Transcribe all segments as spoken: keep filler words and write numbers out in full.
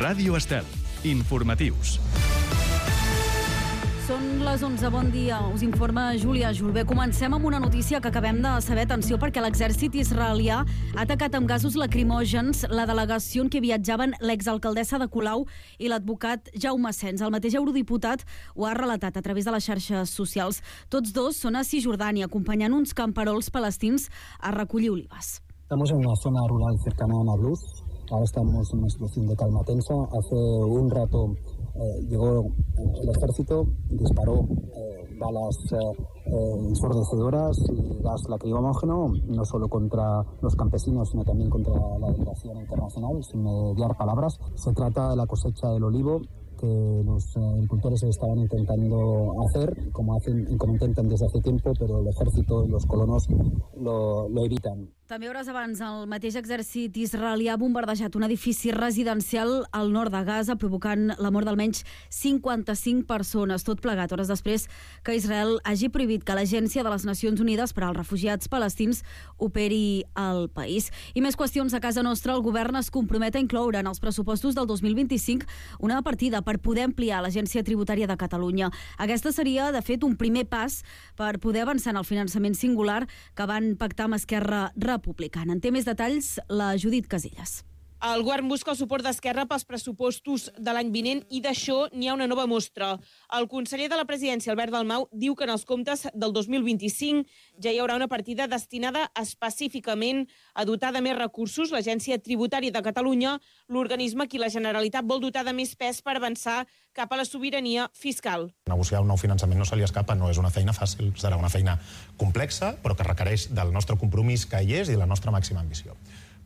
Ràdio Estel. Informatius. Són les onze, bon dia. Us informa Júlia Julbé. Comencem amb una notícia que acabem de saber. Atenció, perquè l'exèrcit israelià ha atacat amb gasos lacrimògens la delegació en què viatjaven l'exalcaldessa de Colau i l'advocat Jaume Sens. El mateix eurodiputat ho ha relatat a través de les xarxes socials. Tots dos són a Cisjordània, acompanyant uns camperols palestins a recollir olives. Estamos en una zona rural cercana a Nablus. Ahora estamos en una situación de calma tensa. Hace un rato eh, llegó el ejército, disparó eh, balas eh, ensordecedoras y gas lacrimógeno, no solo contra los campesinos, sino también contra la delegación internacional, sin mediar palabras. Se trata de la cosecha del olivo que los agricultores estaban intentando hacer, como hacen y como intentan desde hace tiempo, pero el ejército y los colonos lo, lo evitan. També hores abans, el mateix exèrcit israelià ha bombardejat un edifici residencial al nord de Gaza, provocant la mort d'almenys cinquanta-cinc persones, tot plegat hores després que Israel hagi prohibit que l'Agència de les Nacions Unides per als Refugiats Palestins operi al país. I més qüestions a casa nostra. El govern es compromet a incloure en els pressupostos del dos mil vint-i-cinc una partida per poder ampliar l'Agència Tributària de Catalunya. Aquesta seria, de fet, un primer pas per poder avançar en el finançament singular que van pactar amb Esquerra Republicana. En té més detalls la Judit Casillas. El govern busca el suport d'Esquerra pels pressupostos de l'any vinent i d'això n'hi ha una nova mostra. El conseller de la presidència, Albert Dalmau, diu que en els comptes del dos mil vint-i-cinc ja hi haurà una partida destinada específicament a dotar de més recursos l'Agència Tributària de Catalunya, l'organisme a qui la Generalitat vol dotar de més pes per avançar cap a la sobirania fiscal. Negociar un nou finançament no se li escapa, no és una feina fàcil, serà una feina complexa, però que requereix del nostre compromís que hi és i de la nostra màxima ambició.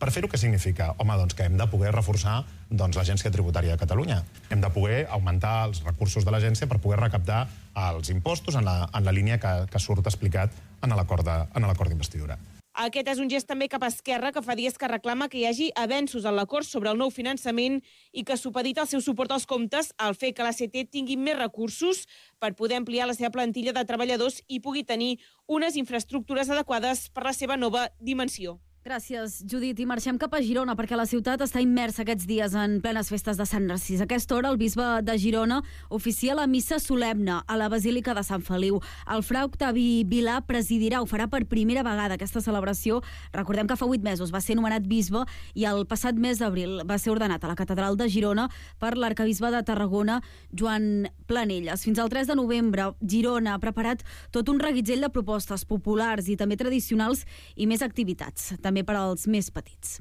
Per fer-ho, què significa? Home, doncs que hem de poder reforçar doncs, l'Agència Tributària de Catalunya. Hem de poder augmentar els recursos de l'agència per poder recaptar els impostos en la, en la línia que, que surt explicat en l'acord d'investidura. Aquest és un gest també cap a Esquerra, que fa dies que reclama que hi hagi avenços en l'acord sobre el nou finançament i que supedita el seu suport als comptes al fer que l'A C T tingui més recursos per poder ampliar la seva plantilla de treballadors i pugui tenir unes infraestructures adequades per la seva nova dimensió. Gràcies, Judit. I marxem cap a Girona, perquè la ciutat està immersa aquests dies en plenes festes de Sant Narcís. A aquesta hora, el bisbe de Girona oficia la missa solemne a la Basílica de Sant Feliu. El fra Octavi Vilà presidirà, ho farà per primera vegada aquesta celebració. Recordem que fa vuit mesos va ser nomenat bisbe i el passat mes d'abril va ser ordenat a la Catedral de Girona per l'arcabisbe de Tarragona, Joan Planelles. Fins al tres de novembre, Girona ha preparat tot un reguitzell de propostes populars i també tradicionals i més activitats, també per als més petits.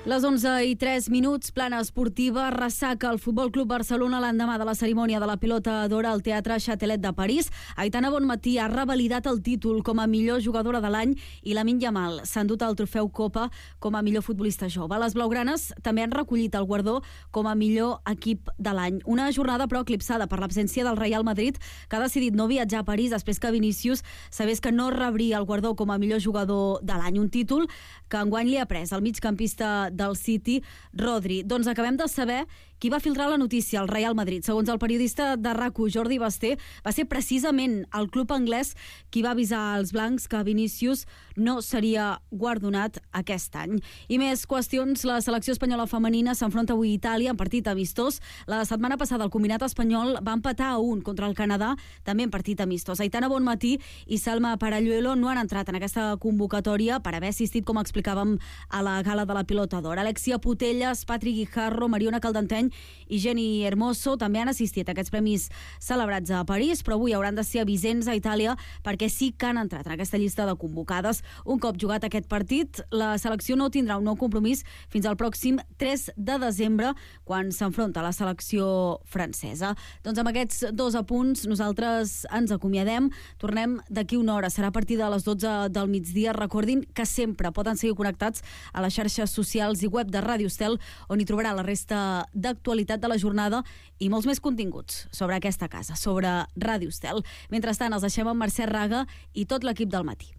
Les onze i tres minuts, plana esportiva, ressaca el Futbol Club Barcelona l'endemà de la cerimònia de la pilota d'or al Teatre Châtelet de París. Aitana Bonmatí ha revalidat el títol com a millor jugadora de l'any i Lamine Yamal s'ha endut el trofeu Copa com a millor futbolista jove. Les blaugranes també han recollit el guardó com a millor equip de l'any. Una jornada però eclipsada per l'absència del Real Madrid, que ha decidit no viatjar a París després que Vinícius sabés que no rebria el guardó com a millor jugador de l'any. Un títol que enguany li ha pres el migcampista del City, Rodri. Doncs acabem de saber qui va filtrar la notícia al Real Madrid. Segons el periodista de RACU, Jordi Basté, va ser precisament el club anglès qui va avisar als blancs que Vinícius no seria guardonat aquest any. I més qüestions, la selecció espanyola femenina s'enfronta avui a Itàlia en partit amistós. La setmana passada el combinat espanyol va empatar a un contra el Canadà, també en partit amistós. Aitana Bonmatí i Salma Paralluelo no han entrat en aquesta convocatòria per haver assistit, com explicàvem, a la gala de la pilota d'or. Alexia Putellas, Patrick Guijarro, Mariona Caldenteny i Jenny Hermoso també han assistit a aquests premis celebrats a París, però avui hauran de ser a Vicenç, a Itàlia, perquè sí que han entrat en aquesta llista de convocades. Un cop jugat aquest partit, la selecció no tindrà un nou compromís fins al pròxim tres de desembre, quan s'enfronta a la selecció francesa. Doncs amb aquests dos apunts nosaltres ens acomiadem. Tornem d'aquí una hora, serà a partir de les dotze del migdia. Recordin que sempre poden seguir connectats a les xarxes socials i web de Ràdio Estel, on hi trobarà la resta d'actualitat de la jornada i molts més continguts sobre aquesta casa, sobre Ràdio Estel. Mentrestant, els deixem amb Mercè Raga i tot l'equip del matí.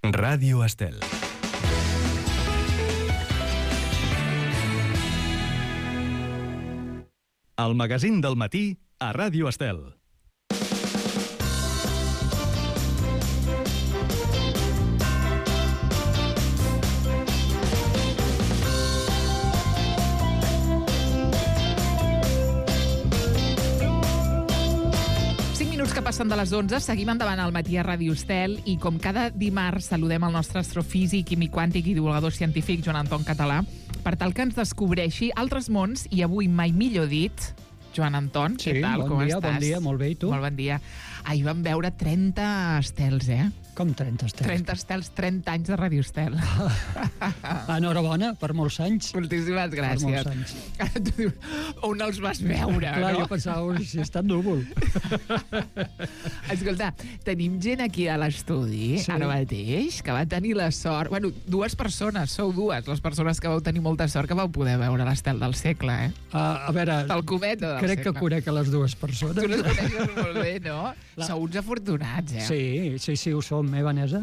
Ràdio Estel. El magazín del matí a Ràdio Estel. que passen de les onze, seguim endavant al matí a Ràdio Estel i com cada dimarts saludem el nostre astrofísic, químic quàntic i divulgador científic Joan Anton Català per tal que ens descobreixi altres mons i avui mai millor dit. Joan Anton, sí, què tal? Bon Com dia, estàs? bon dia, molt bé, i tu? Molt bon dia. Ahir vam veure trenta estels, eh? Com trenta estels? trenta estels, trenta anys de Ràdio Estel. Enhorabona, per molts anys. Moltíssimes gràcies. Per molts anys. Ara tu dius, on els vas veure, Clar, no? jo pensava, ui, si està núvol. Escolta, tenim gent aquí a l'estudi, Sí. ara mateix, que va tenir la sort... Bueno, dues persones, sou dues, les persones que vau tenir molta sort que vau poder veure l'estel del segle, eh? Uh, a veure, El cometa del crec segle. que conec a les dues persones. Tu les coneixes molt bé, no? La... Sou uns afortunats, eh? Sí, sí, sí, ho som, eh, Vanessa?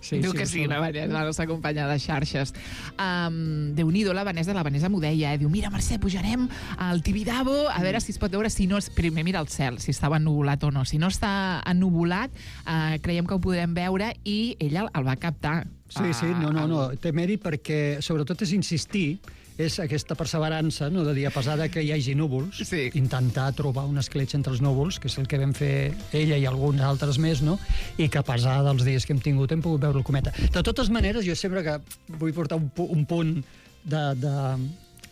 Sí, Diu que ho sí, som. la Vanessa, la nostra companya de xarxes. Um, Déu-n'hi-do, la Vanessa, la Vanessa m'ho deia, eh? Diu, mira, Mercè, pujarem al Tibidabo a veure si es pot veure, si no... És... Primer mira el cel, si estava ennuvolat o no. Si no està ennuvolat, uh, creiem que ho podrem veure i ella el va captar. Sí, sí, no, no, no. Té mèrit perquè, sobretot, és insistir, és aquesta perseverança, no, de dir, a pesar de que hi hagi núvols, Sí. intentar trobar una escletxa entre els núvols, que és el que vam fer ella i alguns altres més, no? I que a pesar dels dies que hem tingut hem pogut veure el cometa. De totes maneres, jo sempre que vull portar un, pu un punt de... de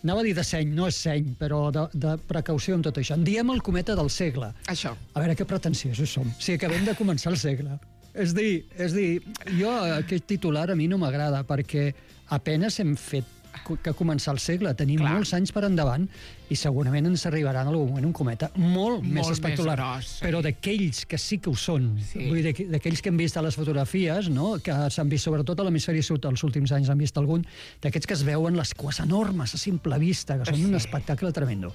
anava a dir de seny, no és seny, però de, de precaució en tot això. En diem el cometa del segle. Això. A veure, que pretensiosos som. Si acabem de començar el segle. És dir, és dir, jo aquest titular a mi no m'agrada perquè apenes hem fet que començar el segle. Tenim Clar. molts anys per endavant i segurament ens arribarà en algun moment un cometa molt, Molt més espectacular. més gros, sí. Però d'aquells que sí que ho són, Sí. vull dir, d'aquells que hem vist a les fotografies, no? Que s'han vist sobretot a l'hemisferi sud, els últims anys han vist algun, d'aquests que es veuen les cues enormes a simple vista, que són Sí. un espectacle tremendo.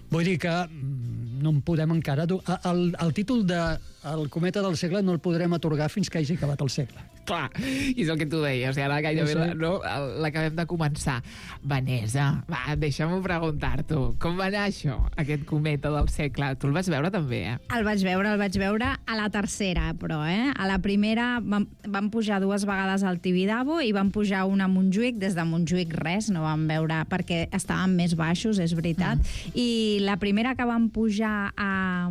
Vull dir que mm, no en podem encara... dur- El, el títol de el cometa del segle no el podrem atorgar fins que hagi acabat el segle. Clar, i és el que tu deies, i ara gairebé No sé. la- no, l'acabem de començar. Vanessa, va, deixa'm preguntar-t'ho. Com va anar això, aquest cometa del segle? Tu el vas veure també, eh? El vaig veure, el vaig veure a la tercera, però, eh? A la primera vam, vam pujar dues vegades al Tibidabo i vam pujar una a Montjuïc. Des de Montjuïc res, no vam veure, perquè estàvem més baixos, és veritat. Mm. I la primera que vam pujar a,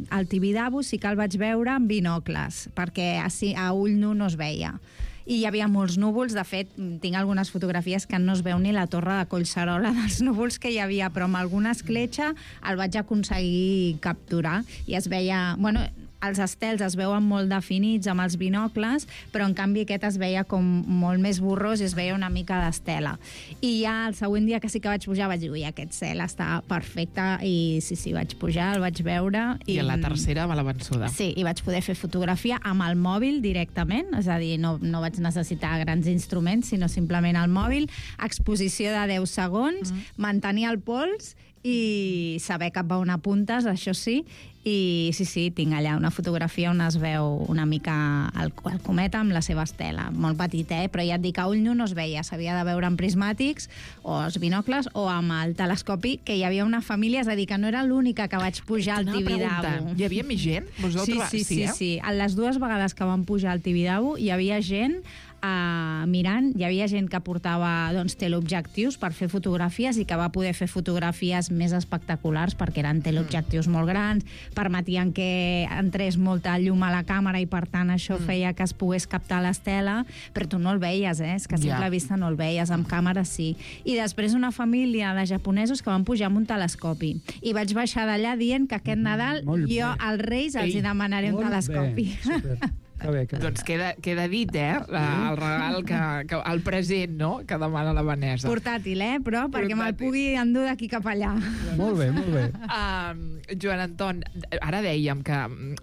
al Tibidabo sí que el vaig veure amb binocles, perquè així, a ull nu no es veia. I hi havia molts núvols, de fet, tinc algunes fotografies que no es veu ni la torre de Collserola dels núvols que hi havia, però amb alguna escletxa el vaig aconseguir capturar i es veia... Bueno, els estels es veuen molt definits amb els binocles, però en canvi aquest es veia com molt més borrós i es veia una mica d'estela. I ja el següent dia que sí que vaig pujar vaig dir, ui, aquest cel està perfecte, i sí, sí, vaig pujar, el vaig veure. I, I a la tercera va la vençuda. Sí, i vaig poder fer fotografia amb el mòbil directament, és a dir, no, no vaig necessitar grans instruments, sinó simplement el mòbil, exposició de deu segons, mm. mantenir el pols i saber cap a on apuntes, això sí, i sí, sí, tinc allà una fotografia on es veu una mica el, el cometa amb la seva estela, molt petit, eh? Però ja et dic, a ull nu no es veia, s'havia de veure amb prismàtics o els binocles o amb el telescopi, que hi havia una família, és a dir, que no era l'única que vaig pujar al T'anava a Tibidabo. preguntar, Hi havia més gent? Vos heu Sí, trobat- sí, sí, eh? sí. A les dues vegades que vam pujar al Tibidabo hi havia gent uh, mirant, hi havia gent que portava doncs, teleobjectius per fer fotografies i que va poder fer fotografies més espectaculars perquè eren teleobjectius molt grans, permetien que entrés molta llum a la càmera i per tant això Mm. feia que es pogués captar l'estela, però tu no el veies, eh? És que a simple Ja. vista no el veies, amb càmera sí. I després una família de japonesos que van pujar amb un telescopi. I vaig baixar d'allà dient que aquest Nadal Molt jo bé. als Reis els Ei, hi demanaré un Molt telescopi. bé, super. Que bé, que bé. Doncs queda, queda dit, eh? La, el regal, que, que, el present, no?, que demana la Vanessa. Portàtil, eh? Però perquè me'l Portàtil. pugui endur d'aquí cap allà. Molt bé, molt bé. Um, Joan Anton, ara dèiem que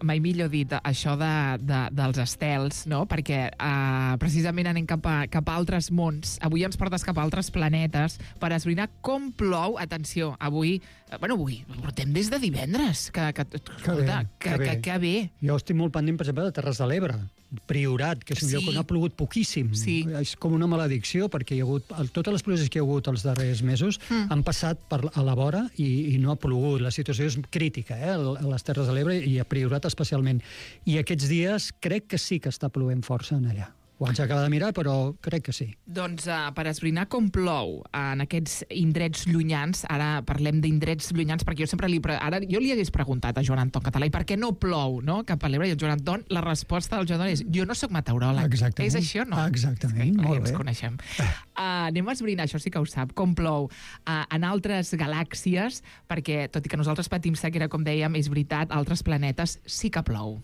mai millor dit això de, de, dels estels, no? Perquè uh, precisament anem cap a, cap a altres mons. Avui ens portes cap a altres planetes per esbrinar com plou. Atenció, avui... Bueno, avui, ho portem des de divendres. Que, que, escolta, que, que bé. que, que bé. Jo estic molt pendent, per exemple, de Terres de l'Ebre, Priorat, que és un Sí. lloc on ha plogut poquíssim. Sí. És com una maledicció, perquè hi ha hagut, el- totes les pluges que hi ha hagut els darrers mesos Mm. han passat per, a la vora i, i no ha plogut. La situació és crítica, eh, a les Terres de l'Ebre i a Priorat especialment. I aquests dies crec que sí que està plovent força en allà. Ho haig d'acabar de mirar, però crec que sí. Doncs uh, per esbrinar com plou en aquests indrets llunyans, ara parlem d'indrets llunyans, perquè jo sempre li... Pre... Ara jo li hagués preguntat a Joan Anton Català i per què no plou, no?, cap a l'Ebre, i el Joan Anton, la resposta del Joan Anton és jo no sóc meteoròleg. Exactament. És això, no? Exactament, que, molt ens bé. coneixem. Uh, anem a esbrinar, això sí que ho sap, com plou uh, en altres galàxies, perquè, tot i que nosaltres patim sequera, com dèiem, és veritat, altres planetes sí que plou.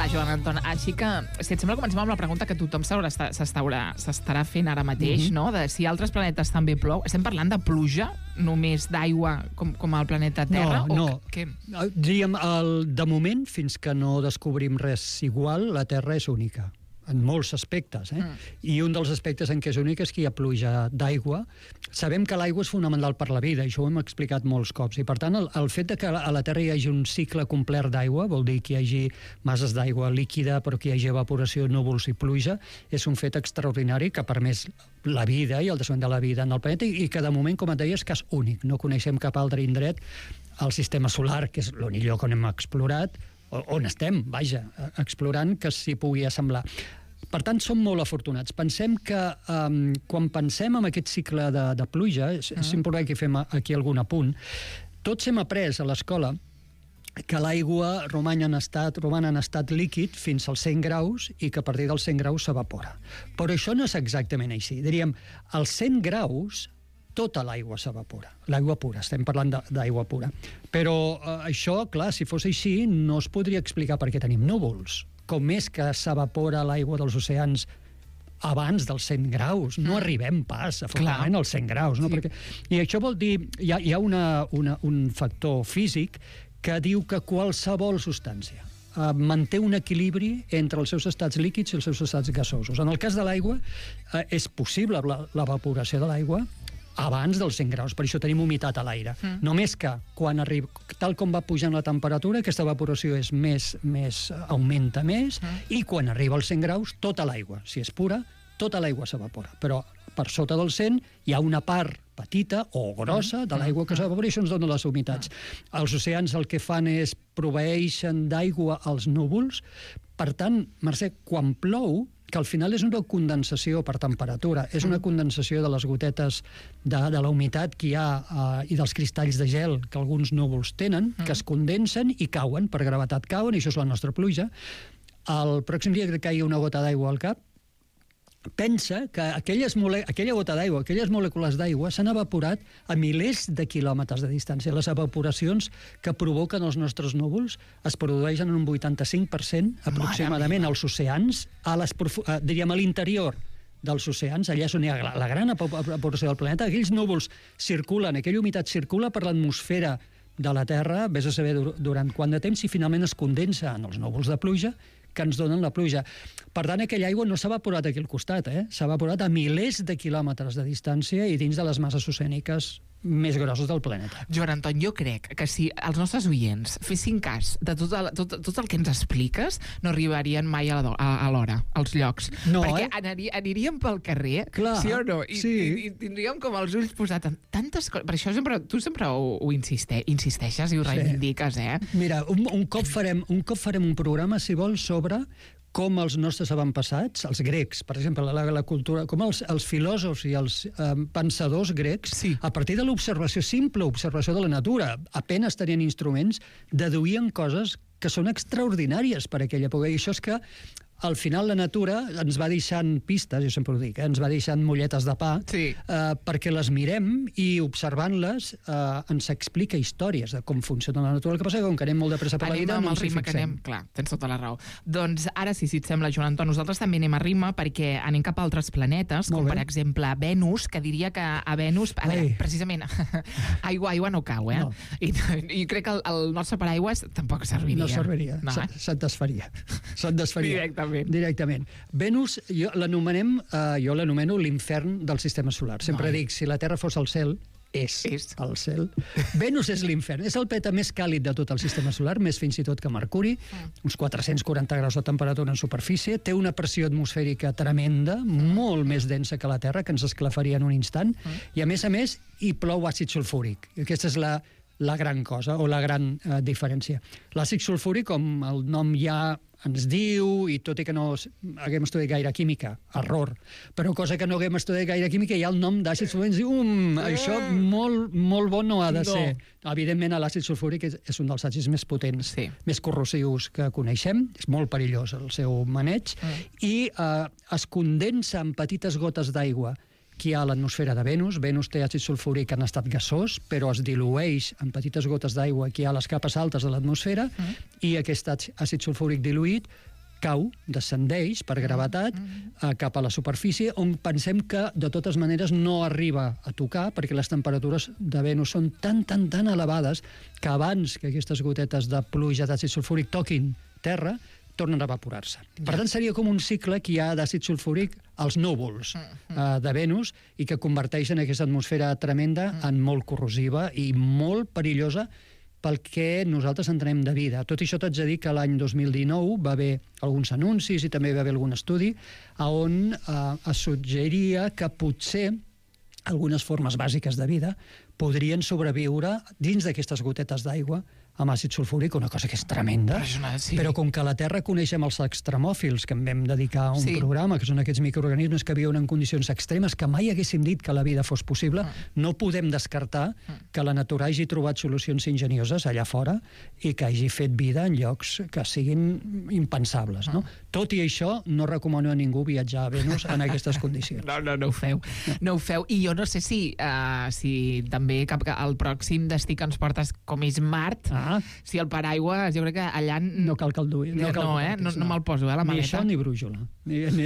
Joan Anton, així que, si et sembla, comencem amb la pregunta que tothom s'estarà fent ara mateix, mm-hmm. no?, de si altres planetes també plou. Estem parlant de pluja, només d'aigua, com, com al planeta Terra? No, no. O què? Diríem, el, de moment, fins que no descobrim res igual, la Terra és única, en molts aspectes, eh? Mm. I un dels aspectes en què és únic és que hi ha pluja d'aigua. Sabem que l'aigua és fonamental per la vida, i això ho hem explicat molts cops, i per tant el, el fet de que a la Terra hi hagi un cicle complet d'aigua, vol dir que hi hagi masses d'aigua líquida, però que hi hagi evaporació, núvols i pluja, és un fet extraordinari que ha permès la vida i el desenvolupament de la vida en el planeta, i que de moment, com et deia, és cas únic. No coneixem cap altre indret al sistema solar, que és l'únic lloc on hem explorat, on estem, vaja, explorant, que s'hi pugui assemblar. Per tant, som molt afortunats. Pensem que um, quan pensem en aquest cicle de, de pluja, és, és important que fem aquí algun apunt, tots hem après a l'escola que l'aigua roman en estat, roman en estat líquid fins als cent graus i que a partir dels cent graus s'evapora. Però això no és exactament així. Diríem, als cent graus tota l'aigua s'evapora, l'aigua pura, estem parlant d'aigua pura. Però eh, això, clar, si fos així, no es podria explicar per què tenim núvols. Com és que s'evapora l'aigua dels oceans abans dels cent graus? No arribem pas, afortunadament, als cent graus. No? Sí. Perquè... I això vol dir, hi ha, hi ha una, una, un factor físic que diu que qualsevol substància eh, manté un equilibri entre els seus estats líquids i els seus estats gasosos. En el cas de l'aigua, eh, és possible l'evaporació de l'aigua abans dels cent graus, per això tenim humitat a l'aire. Mm. Només que, quan arriba, tal com va pujant la temperatura, aquesta evaporació és més, més, augmenta més, mm. i quan arriba als cent graus, tota l'aigua, si és pura, tota l'aigua s'evapora. Però per sota del cent hi ha una part petita o grossa de l'aigua que s'evapora i això ens dona les humitats. Els oceans el que fan és proveeixen d'aigua als núvols. Per tant, Mercè, quan plou, que al final és una condensació per temperatura, és una condensació de les gotetes de, de la humitat que hi ha eh, i dels cristalls de gel que alguns núvols tenen, que es condensen i cauen, per gravetat cauen, i això és la nostra pluja. El pròxim dia que caigui una gota d'aigua al cap, pensa que aquelles mole... aquella gota d'aigua, aquelles molècules d'aigua s'han evaporat a milers de quilòmetres de distància. Les evaporacions que provoquen els nostres núvols es produeixen en un vuitanta-cinc per cent aproximadament als oceans, a les profu... a, diríem a l'interior dels oceans, allà és on hi ha la gran evaporació del planeta. Aquells núvols circulen, aquella humitat circula per l'atmosfera de la Terra, vés a saber durant quant de temps, i finalment es condensa en els núvols de pluja que ens donen la pluja. Per tant, aquella aigua no s'ha evaporat aquí al costat, eh? S'ha evaporat a milers de quilòmetres de distància i dins de les masses oceàniques més grossos del planeta. Joan Anton, jo crec que si els nostres oients fessin cas de tot el, tot, tot el que ens expliques, no arribarien mai a l'hora, als llocs. No, Perquè eh? anari, aniríem pel carrer, clar, sí o no? I, sí. i, i tindríem com els ulls posats en tantes coses. Per això sempre, tu sempre ho, ho insiste, insisteixes i ho sí. reivindiques, eh? Mira, un, un, cop farem, un cop farem un programa, si vols, sobre com els nostres avantpassats, els grecs, per exemple, la, la cultura, com els, els filòsofs i els eh, pensadors grecs, sí. a partir de l'observació, simple observació de la natura, apenes tenien instruments, deduïen coses que són extraordinàries per a aquella època. I això és que al final la natura ens va deixant pistes, jo sempre ho dic, eh? ens va deixant molletes de pa, sí. eh, perquè les mirem i observant-les eh, ens explica històries de com funciona la natura. El que passa és que com que anem molt de pressa per la vida, no ens hi fixem. Anem, clar, tens tota la raó. Doncs ara sí, si et sembla, Joan Anton, nosaltres també anem a ritme perquè anem cap a altres planetes, com per exemple Venus, que diria que a Venus, a veure, precisament, aigua, aigua no cau, eh? No. I, i crec que el, el nostre paraigües tampoc serviria. No serviria, no, eh? se't desfaria. Se't desfaria. Directament. Directament. Venus, jo l'anomenem, eh, jo l'anomeno l'infern del sistema solar. Sempre no. dic, si la Terra fos el cel, és, és el cel. Venus és l'infern. És el planeta més càlid de tot el sistema solar, més fins i tot que Mercuri, uns quatre-cents quaranta graus de temperatura en superfície, té una pressió atmosfèrica tremenda, molt més densa que la Terra, que ens esclafaria en un instant, i a més a més hi plou àcid sulfúric. Aquesta és la, la gran cosa, o la gran eh, diferència. L'àcid sulfúric, com el nom ja ens diu, i tot i que no haguem estudiat gaire química, error, però cosa que no haguem estudiat gaire química, hi ha el nom d'àcid sulfúric, ens diu, um, això molt, molt bon no ha de ser. No. Evidentment, l'àcid sulfúric és, és un dels àcids més potents, sí. més corrosius que coneixem, és molt perillós el seu maneig, mm. i eh, es condensa en petites gotes d'aigua que hi ha a l'atmosfera de Venus. Venus té àcid sulfúric en estat gasós, però es dilueix en petites gotes d'aigua que hi ha a les capes altes de l'atmosfera, mm. i aquest àcid sulfúric diluït cau, descendeix per gravetat mm. cap a la superfície, on pensem que de totes maneres no arriba a tocar, perquè les temperatures de Venus són tan, tan, tan elevades que abans que aquestes gotetes de pluja d'àcid sulfúric toquin terra, tornen a evaporar-se. Per tant, seria com un cicle que hi ha d'àcid sulfúric als núvols uh, de Venus i que converteixen aquesta atmosfera tremenda en molt corrosiva i molt perillosa pel que nosaltres entenem de vida. Tot això t'haig de dir que l'any dos mil dinou va haver alguns anuncis i també va haver algun estudi on uh, es suggeria que potser algunes formes bàsiques de vida podrien sobreviure dins d'aquestes gotetes d'aigua amb àcid sulfúric, una cosa que és tremenda, sí. però com que a la Terra coneixem els extremòfils, que en vam dedicar un sí. programa, que són aquests microorganismes que viuen en condicions extremes, que mai haguéssim dit que la vida fos possible, mm. no podem descartar mm. que la natura hagi trobat solucions ingenioses allà fora i que hagi fet vida en llocs que siguin impensables. No? Mm. Tot i això, no recomano a ningú viatjar a Venus en aquestes condicions. No, no, no ho feu. No, no ho feu. I jo no sé si, uh, si també cap, el pròxim destí que ens portes, com és Mart, ah. si el paraigua, jo crec que allà... No cal que el duï. No, no, eh? no, no, no me'l poso, eh, la maleta. Ni això ni brújula. Ni, ni...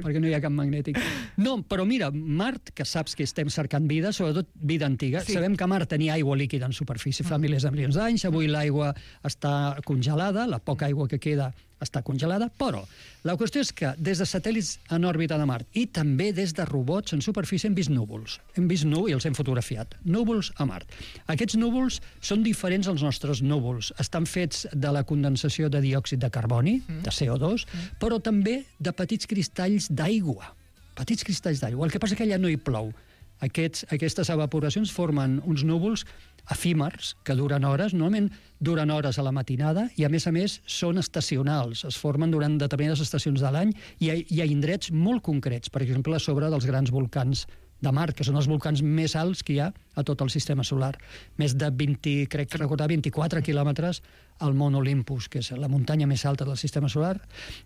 perquè no hi ha cap magnètic. No, però mira, Mart, que saps que estem cercant vida, sobretot vida antiga, sí. sabem que Mart tenia aigua líquida en superfície fa milers de milions d'anys, avui l'aigua està congelada, la poca aigua que queda està congelada, però la qüestió és que des de satèl·lits en òrbita de Mart i també des de robots en superfície hem vist núvols. Hem vist núvols i els hem fotografiat. Núvols a Mart. Aquests núvols són diferents als nostres núvols. Estan fets de la condensació de diòxid de carboni, de C O dos, però també de petits cristalls d'aigua. Petits cristalls d'aigua. El que passa és que allà no hi plou. Aquests, aquestes evaporacions formen uns núvols efímers, que duren hores, normalment duren hores a la matinada, i a més a més són estacionals, es formen durant determinades estacions de l'any, i hi ha indrets molt concrets, per exemple, a sobre dels grans volcans de Mart, que són els volcans més alts que hi ha a tot el sistema solar. Més de vint, crec que recordar, vint-i-quatre quilòmetres al Mont Olympus, que és la muntanya més alta del sistema solar.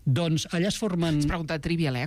Doncs allà es formen... És pregunta trivial, eh?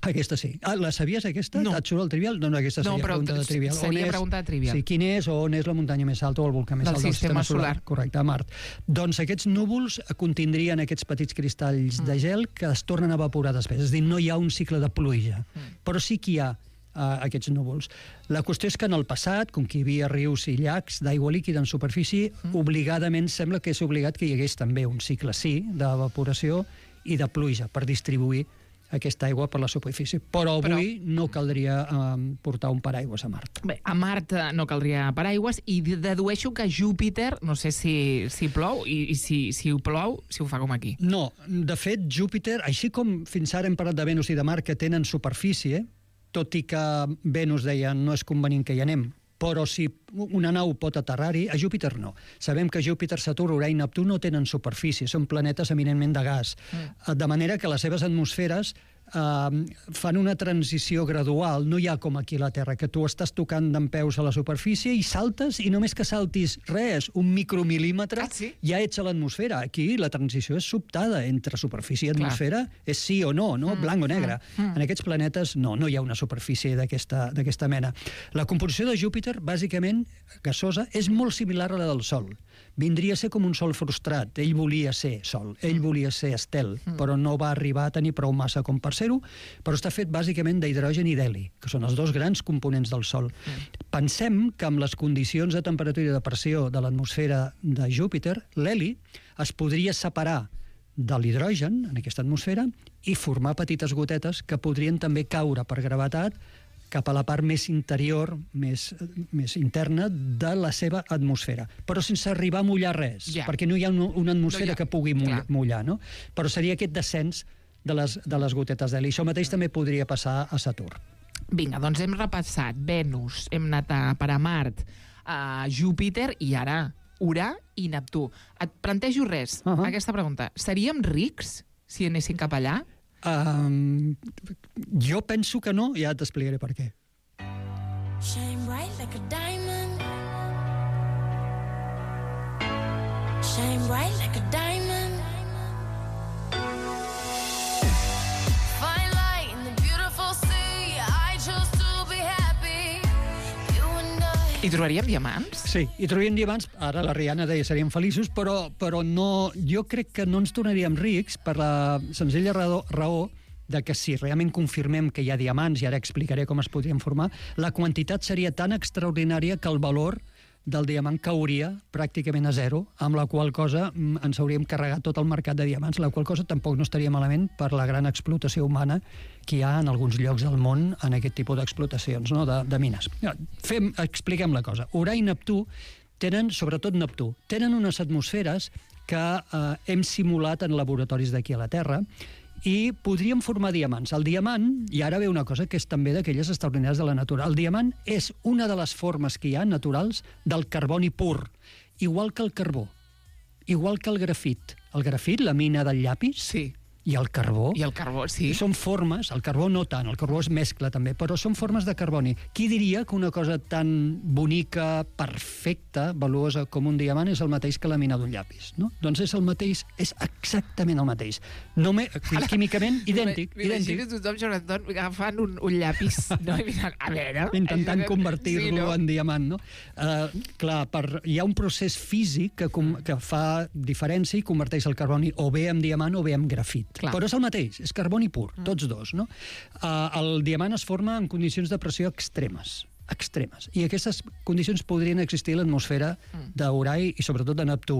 Aquesta sí. Ah, la sabies, aquesta? No. Et surt el trivial? No, no, aquesta seria no, però pregunta de trivial. Seria pregunta de trivial. Sí, quin és o on és la muntanya més alta o el volcà més del alt del sistema, sistema solar. solar? Correcte, a Mart. Doncs aquests núvols contindrien aquests petits cristalls mm. de gel que es tornen a evaporar després. És a dir, no hi ha un cicle de pluja, mm. però sí que hi ha uh, aquests núvols. La qüestió és que en el passat, com que hi havia rius i llacs d'aigua líquida en superfície, mm. obligadament sembla que és obligat que hi hagués també un cicle, sí, d'evaporació i de pluja per distribuir aquesta aigua per la superfície. Però avui Però... no caldria um, portar un paraigües a Mart. Bé, a Mart no caldria paraigües i dedueixo que Júpiter, no sé si, si plou i, i si, si ho plou, si ho fa com aquí. No, de fet, Júpiter, així com fins ara hem parlat de Venus i de Mart que tenen superfície, tot i que Venus deia no és convenient que hi anem, però si una nau pot aterrar-hi, a Júpiter no. Sabem que Júpiter, Saturn, Urà i Neptú no tenen superfície, són planetes eminentment de gas. Mm. De manera que les seves atmosferes Uh, fan una transició gradual, no hi ha com aquí a la Terra, que tu estàs tocant dempeus a la superfície i saltes, i només que saltis res, un micromil·límetre, ah, sí? ja ets a l'atmosfera. Aquí la transició és sobtada entre superfície i atmosfera, Clar. és sí o no, no? Mm, blanc o negre. Mm, mm. En aquests planetes no, no hi ha una superfície d'aquesta mena. La composició de Júpiter, bàsicament gasosa, és molt similar a la del Sol. Vindria a ser com un sol frustrat. Ell volia ser Sol, ell volia ser estel, mm. però no va arribar a tenir prou massa com per ser-ho, però està fet bàsicament d'hidrogen i d'heli, que són els dos grans components del Sol. Mm. Pensem que amb les condicions de temperatura i de pressió de l'atmosfera de Júpiter, l'heli es podria separar de l'hidrogen en aquesta atmosfera i formar petites gotetes que podrien també caure per gravetat cap a la part més interior, més, més interna de la seva atmosfera, però sense arribar a mullar res, Ja. perquè no hi ha un, una atmosfera No hi ha- que pugui mullar, clar. mullar, no? Però seria aquest descens de les, de les gotetes d'heli. Això mateix també podria passar a Saturn. Vinga, doncs hem repassat Venus, hem anat a, per a Mart, a Júpiter i ara Urà i Neptú. Et plantejo res, Uh-huh. aquesta pregunta. Seríem rics si anéssim cap allà? Um, jo penso que no, ja t'explicaré per què. Shine bright like a diamond. Shine bright like a diamond. Find light in the beautiful sea. I chose to be happy. You and I. Hi trobaríem diamants? Sí, i trobaríem diamants, ara la Rihanna deia seríem feliços, però, però no, jo crec que no ens tornaríem rics per la senzilla raó, raó de que si realment confirmem que hi ha diamants, i ara explicaré com es podrien formar, la quantitat seria tan extraordinària que el valor del diamant cauria pràcticament a zero, amb la qual cosa mm, ens hauríem carregat tot el mercat de diamants, la qual cosa tampoc no estaria malament per la gran explotació humana que hi ha en alguns llocs del món en aquest tipus d'explotacions, no? de, de mines. Fem, expliquem la cosa. Urà i Neptú tenen, sobretot Neptú, tenen unes atmosferes que eh, hem simulat en laboratoris d'aquí a la Terra, i podríem formar diamants. El diamant, i ara ve una cosa que és també d'aquelles extraordinàries de la natura, el diamant és una de les formes que hi ha naturals del carboni pur, igual que el carbó, igual que el grafit. El grafit, la mina del llapis, Sí. i el carbó. I el carbó, sí. Són formes, el carbó no tant, el carbó es mescla també, però són formes de carboni. Qui diria que una cosa tan bonica, perfecta, valuosa com un diamant és el mateix que la mina d'un llapis, no? Doncs és el mateix, és exactament el mateix. No me, químicament, idèntic, M'imagino idèntic. tothom, Jonathan, agafant un, un llapis, no? I mirant, a veure... Intentant convertir-lo Sí, no? en diamant, no? Uh, clar, per, hi ha un procés físic que, com, que fa diferència i converteix el carboni o bé en diamant o bé en grafit. Clar. Però és el mateix, és carboni pur, tots dos, no? Uh, el diamant es forma en condicions de pressió extremes, extremes. I aquestes condicions podrien existir a l'atmosfera d'Urà i sobretot de Neptú.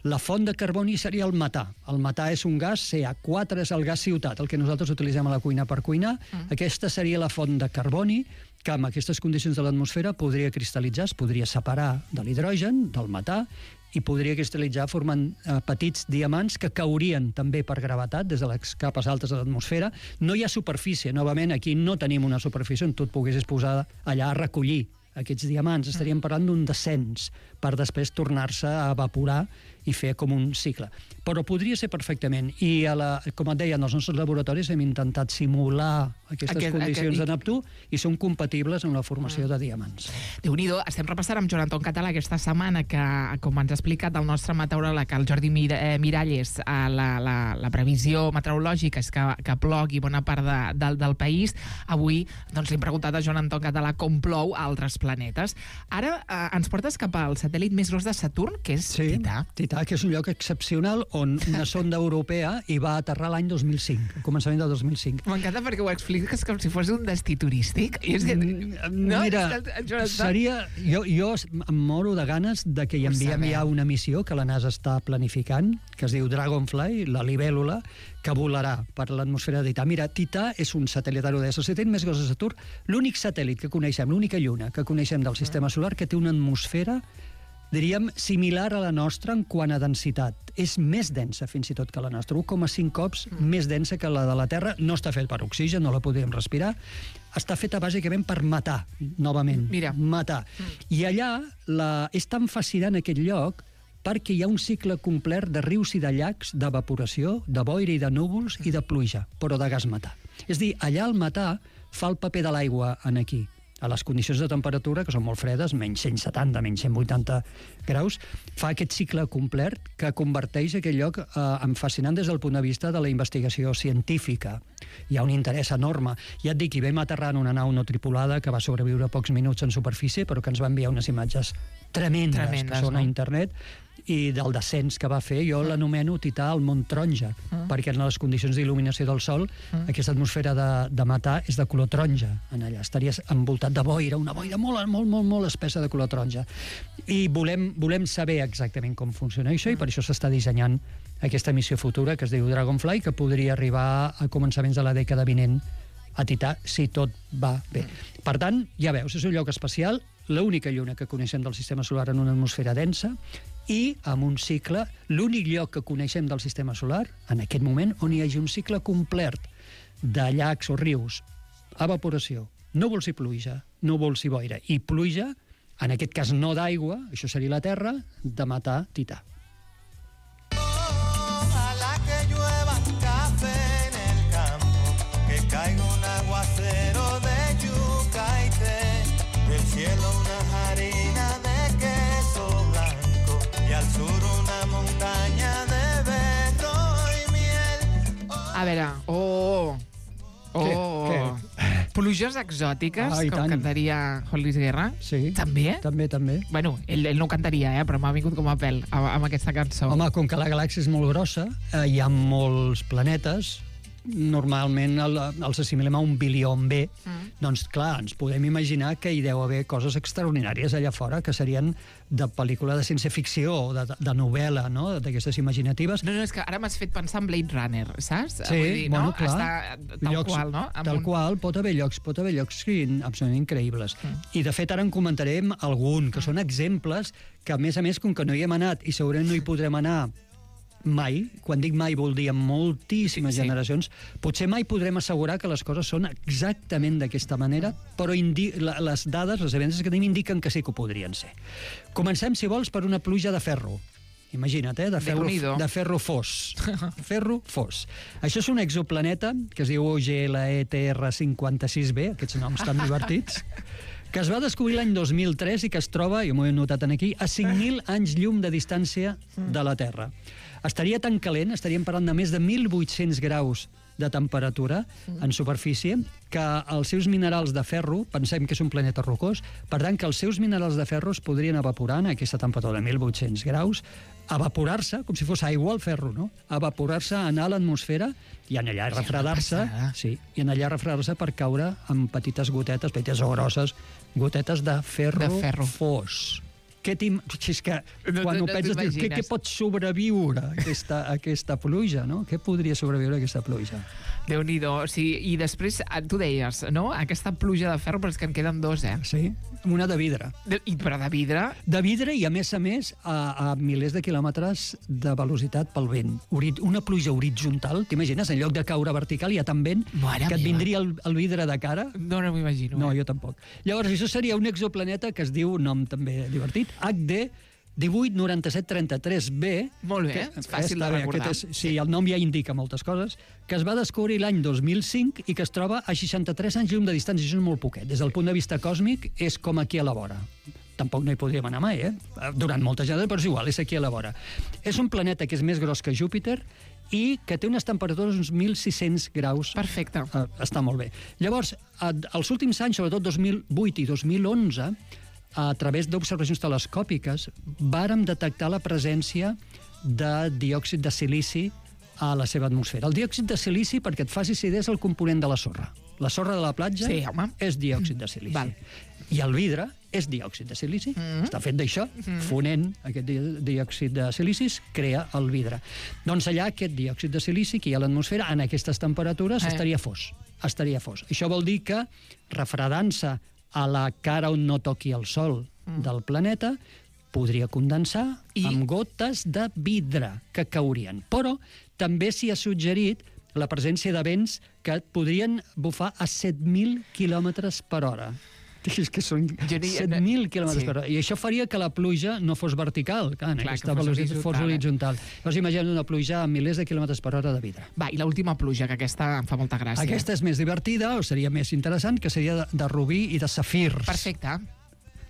La font de carboni seria el metà. El metà és un gas, C A quatre és el gas ciutat, el que nosaltres utilitzem a la cuina per cuinar. Aquesta seria la font de carboni que amb aquestes condicions de l'atmosfera podria cristal·litzar, es podria separar de l'hidrogen, del metà, i podria cristal·litzar formant eh, petits diamants que caurien també per gravetat des de les capes altes de l'atmosfera. No hi ha superfície, novament, aquí no tenim una superfície on tu et poguessis posar allà a recollir aquests diamants. Estaríem parlant d'un descens per després tornar-se a evaporar i fer com un cicle. Però podria ser perfectament. I, a la, com et deia, en els nostres laboratoris hem intentat simular aquestes Aquest- condicions aquest- de Neptú i són compatibles amb la formació de diamants. Déu-n'hi-do, estem repassant amb Joan Anton Català aquesta setmana que, com ens ha explicat el nostre meteoròleg, el Jordi Mir eh, Miralles, eh, la, la, la previsió meteorològica és que, que plogui bona part de, del, del país. Avui doncs, li hem preguntat a Joan Anton Català com plou a altres planetes. Ara eh, ens portes cap al satèl·lit més gros de Saturn, que és Sí, Tità. Tità, que és un lloc excepcional on una sonda europea hi va aterrar l'any dos mil cinc, al començament del dos mil cinc. M'encanta perquè ho expliques com si fos un destí turístic. I és que, no, Mira, és que el Jonathan- seria... Jo, jo em moro de ganes de que hi Ho enviem sabem. ja una missió que la NASA està planificant, que es diu Dragonfly, la libèl·lula, que volarà per l'atmosfera de Tità. Mira, Tità és un satèl·lit aerodè, el satèl·lit més gros de Saturn, l'únic satèl·lit que coneixem, l'única lluna que coneixem del sistema solar que té una atmosfera, diríem, similar a la nostra en quant a densitat. És més densa, fins i tot, que la nostra. un coma cinc cops més densa que la de la Terra. No està fet per oxigen, no la podríem respirar. Està feta bàsicament per matar, novament. Mira. Matar. I allà la... és tan fascinant aquest lloc perquè hi ha un cicle complet de rius i de llacs, d'evaporació, de boira i de núvols i de pluja, però de gas metà. És a dir, allà el metà fa el paper de l'aigua en aquí. A les condicions de temperatura, que són molt fredes, menys cent setanta, menys cent vuitanta graus, fa aquest cicle complet que converteix aquell lloc eh, en fascinant des del punt de vista de la investigació científica. Hi ha un interès enorme. Ja et dic, hi vam aterrar en una nau no tripulada que va sobreviure pocs minuts en superfície, però que ens va enviar unes imatges tremendes, Tremendes, que són no? a internet, i del descens que va fer, jo l'anomeno Tità al Mont Taronja, Ah. perquè en les condicions d'il·luminació del Sol, aquesta atmosfera de, de metà és de color taronja en allà. Estaries envoltat de boira, una boira molt, molt, molt, molt espessa de color taronja. I volem, volem saber exactament com funciona això, i per això s'està dissenyant aquesta missió futura que es diu Dragonfly, que podria arribar a començaments de la dècada vinent a Tità si tot va bé. Per tant, ja veus, és un lloc especial, l'única lluna que coneixem del sistema solar en una atmosfera densa i amb un cicle, l'únic lloc que coneixem del sistema solar, en aquest moment, on hi hagi un cicle complet de llacs o rius, evaporació, núvols i pluja, núvols i boira, i pluja, en aquest cas no d'aigua, això seria la Terra, de matar Tità. Ojalá que llueva café en el campo, que caiga un aguacero de yuca y té, del cielo una harina de queso blanco y al sur una montaña de berro y miel. A veure, oh... Oh, Què? Què? Pluges exòtiques, Ah, i com tant. cantaria Juan Luis Guerra. Sí. També? També, també. Bueno, ell, ell no ho cantaria, eh, però m'ha vingut com a pèl amb, amb aquesta cançó. Home, com que la galàxia és molt grossa, eh, hi ha molts planetes, normalment el, els assimilem a un bilió B, mm. doncs clar, ens podem imaginar que hi deu haver coses extraordinàries allà fora, que serien de pel·lícula de ciència-ficció o de, de novel·la, no?, d'aquestes imaginatives. No, no, és que ara m'has fet pensar en Blade Runner, saps? Sí, Vull dir, bueno, no? clar. Està tal llocs, qual, no? Amb Tal un... qual, pot haver llocs, pot haver llocs sí, absolutament increïbles. Mm. I, de fet, ara en comentarem algun, que són exemples que, a més a més, com que no hi hem anat i segurament no hi podrem anar mai, quan dic mai vol dir en moltíssimes Sí, sí. generacions, potser mai podrem assegurar que les coses són exactament d'aquesta manera, però indi la, les dades, les evidències que tenim indiquen que sí que ho podrien ser. Comencem, si vols, per una pluja de ferro. Imagina't, eh? De ferro, Déu-n'hi-do. de ferro fos. Ferro fos. Això és un exoplaneta que es diu O G L E T R cinquanta-sis b, aquests noms tan divertits, que es va descobrir l'any dos mil tres i que es troba, jo m'ho he notat aquí, a cinc mil anys llum de distància de la Terra. Estaria tan calent, estaríem parlant de més de mil vuit-cents graus de temperatura en superfície, que els seus minerals de ferro, pensem que és un planeta rocós, per tant que els seus minerals de ferro es podrien evaporar en aquesta temperatura de mil vuit-cents graus, evaporar-se, com si fos aigua al ferro, no? Evaporar-se, anar a l'atmosfera i en allà refredar-se, sí, i en allà refredar-se per caure amb petites gotetes, petites o grosses, gotetes de ferro, De ferro. fos. Què t'im... Si és que No, quan no, ho no penses, dius, què, t'imagines. què pot sobreviure a aquesta, a aquesta pluja, no? Què podria sobreviure a aquesta pluja? Déu-n'hi-do. O sigui, i després, eh, tu deies, no? Aquesta pluja de ferro, però és que en queden dos, eh? Sí? Una de vidre. De, i, però de vidre... De vidre i, a més a més, a, a milers de quilòmetres de velocitat pel vent. Ori una pluja horitzontal, t'imagines? En lloc de caure vertical hi ha tant vent Mare que et meva. vindria el, el vidre de cara. No, no m'ho imagino. No, eh? jo tampoc. Llavors, això seria un exoplaneta que es diu, nom també divertit, H D divuit noranta-set trenta-tres b. Molt bé, que, és fàcil està de bé, recordar. aquest és, sí, el nom ja indica moltes coses, que es va descobrir l'any dos mil cinc i que es troba a seixanta-tres anys llum de distància. Això és molt poquet. Des del punt de vista còsmic, és com aquí a la vora. Tampoc no hi podríem anar mai, eh? Durant moltes generacions, però és igual, és aquí a la vora. És un planeta que és més gros que Júpiter i que té unes temperatures uns mil sis-cents graus. Perfecte. Uh, està molt bé. Llavors, uh, els últims anys, sobretot dos mil vuit i dos mil onze, a través d'observacions telescòpiques, vàrem detectar la presència de diòxid de silici a la seva atmosfera. El diòxid de silici, perquè et facis idea, és el component de la sorra. La sorra de la platja Sí, home. és diòxid de silici. Val. I el vidre és diòxid de silici. Mm. Està fet d'això, mm. fonent aquest di- diòxid de silici crea el vidre. Doncs allà aquest diòxid de silici que hi ha a l'atmosfera, en aquestes temperatures, Eh. estaria fos. Estaria fos. Això vol dir que, refredant-se a la cara on no toqui el sol mm. del planeta, podria condensar I... amb gotes de vidre que caurien. Però també s'hi ha suggerit la presència de vents que et podrien bufar a set mil quilòmetres per hora. És que són Jo ni- set mil quilòmetres Sí. per hora. I això faria que la pluja no fos vertical, clar, en Clar, aquesta que fos velocitat fos horitzontal, horitzontal. Llavors imagina't una pluja a milers de quilòmetres per hora de vidre. Va, i l'última pluja, que aquesta em fa molta gràcia. Aquesta és més divertida, o seria més interessant, que seria de, de rubí i de safirs. Perfecte.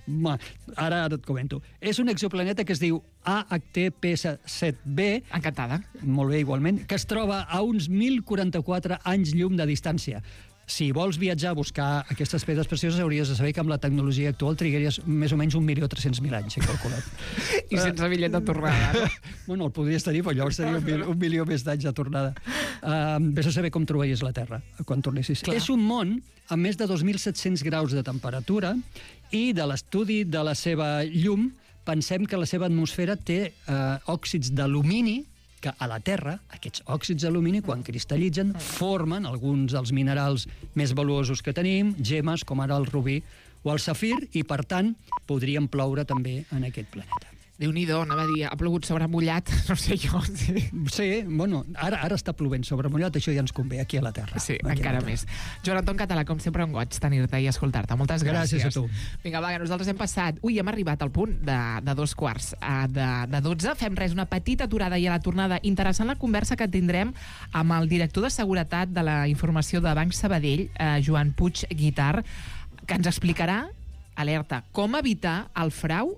Ma, ara, ara et comento. És un exoplaneta que es diu A H T P S set b, Encantada. molt bé, igualment, que es troba a uns mil quaranta-quatre anys llum de distància. Si vols viatjar a buscar aquestes pedres precioses, hauries de saber que amb la tecnologia actual trigaries més o menys un milió tres-cents mil anys, he calculat. I sense bitllet de tornada, no? Bueno, el podries tenir, però llavors seria un, mil, un milió més d'anys de tornada. Uh, vés a saber com trobaries la Terra quan tornessis. Clar. És un món amb més de dos mil set-cents graus de temperatura i de l'estudi de la seva llum pensem que la seva atmosfera té uh, òxids d'alumini que a la Terra, aquests òxids d'alumini, quan cristal·litzen, formen alguns dels minerals més valuosos que tenim, gemmes, com ara el rubí o el safir, i, per tant, podrien ploure també en aquest planeta. Déu-n'hi-do, anava a dir, ha plogut sobre mullat, no sé jo. Sí, sí bueno, ara, ara està plovent sobre mullat, això ja ens convé aquí a la Terra. Sí, encara més. Joan Anton Català, com sempre, un goig tenir-te i escoltar-te. Moltes gràcies. Gràcies a tu. Vinga, va, que nosaltres hem passat... Ui, hem arribat al punt de, de dos quarts de, de dotze. Fem res, una petita aturada i a la tornada. Interessant la conversa que tindrem amb el director de Seguretat de la Informació de Banc Sabadell, eh, Joan Puig Guitart, que ens explicarà, alerta, com evitar el frau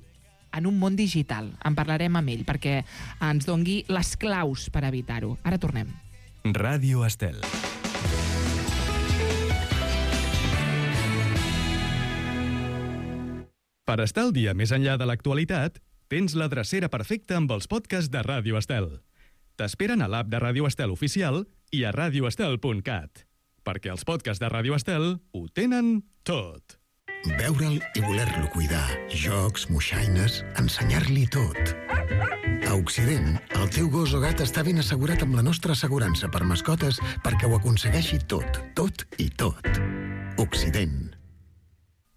en un món digital. En parlarem amb ell perquè ens dongui les claus per evitar-ho. Ara tornem. Ràdio Estel. Per estar al dia més enllà de l'actualitat, tens la drecera perfecta amb els podcasts de Ràdio Estel. T'esperen a l'app de Ràdio Estel oficial i a radio estel punt cat. Perquè els podcasts de Ràdio Estel ho tenen tot. Veure'l i voler-lo cuidar. Jocs, moixaines, ensenyar-li tot. A Occident, el teu gos o gat està ben assegurat amb la nostra assegurança per mascotes perquè ho aconsegueixi tot, tot i tot. Occident.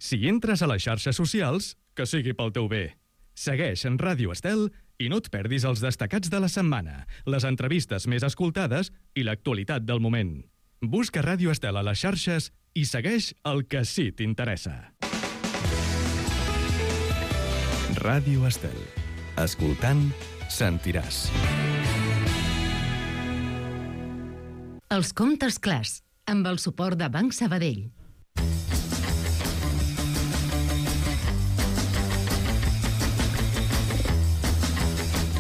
Si entres a les xarxes socials, que sigui pel teu bé. Segueix en Ràdio Estel i no et perdis els destacats de la setmana, les entrevistes més escoltades i l'actualitat del moment. Busca Ràdio Estel a les xarxes i segueix el que sí t'interessa. Ràdio Estel. Escoltant, sentiràs. Els comptes clars, amb el suport de Banc Sabadell.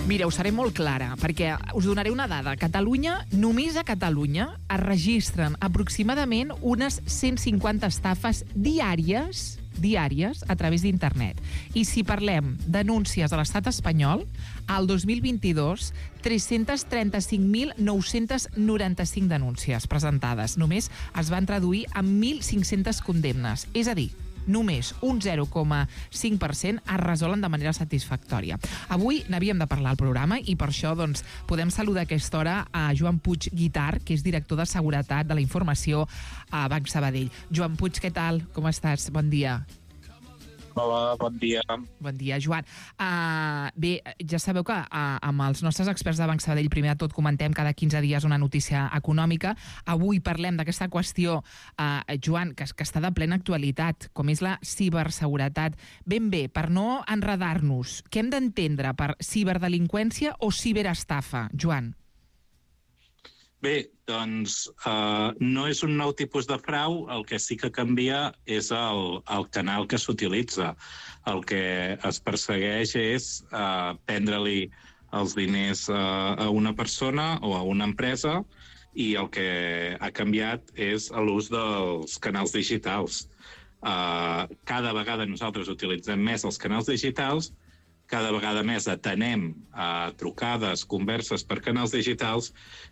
Mira, us seré molt clara, perquè us donaré una dada. A Catalunya, només a Catalunya, es registren aproximadament unes cent cinquanta estafes diàries diàries a través d'internet. I si parlem d'anúncies a l'estat espanyol, al dos mil vint-i-dos, tres-cents trenta-cinc mil nou-cents noranta-cinc denúncies presentades. Només es van traduir en mil cinc-centes condemnes. És a dir, només un zero coma cinc per cent es resolen de manera satisfactòria. Avui n'havíem de parlar al programa i per això doncs, podem saludar a aquesta hora a Joan Puig Guitart, que és director de Seguretat de la Informació a Banc Sabadell. Joan Puig, què tal? Com estàs? Bon dia. Hola, bon dia. Bon dia, Joan. Uh, bé, ja sabeu que uh, amb els nostres experts de Banc Sabadell primer de tot comentem cada quinze dies una notícia econòmica. Avui parlem d'aquesta qüestió, uh, Joan, que, que està de plena actualitat, com és la ciberseguretat. Ben bé, per no enredar-nos, què hem d'entendre per ciberdelinqüència o ciberestafa, Joan? Bé, doncs uh, no és un nou tipus de frau, el que sí que canvia és el, el canal que s'utilitza. El que es persegueix és uh, prendre-li els diners uh, a una persona o a una empresa i el que ha canviat és l'ús dels canals digitals. Uh, cada vegada nosaltres utilitzem més els canals digitals, cada vegada més atenem a trucades, converses per canals digitals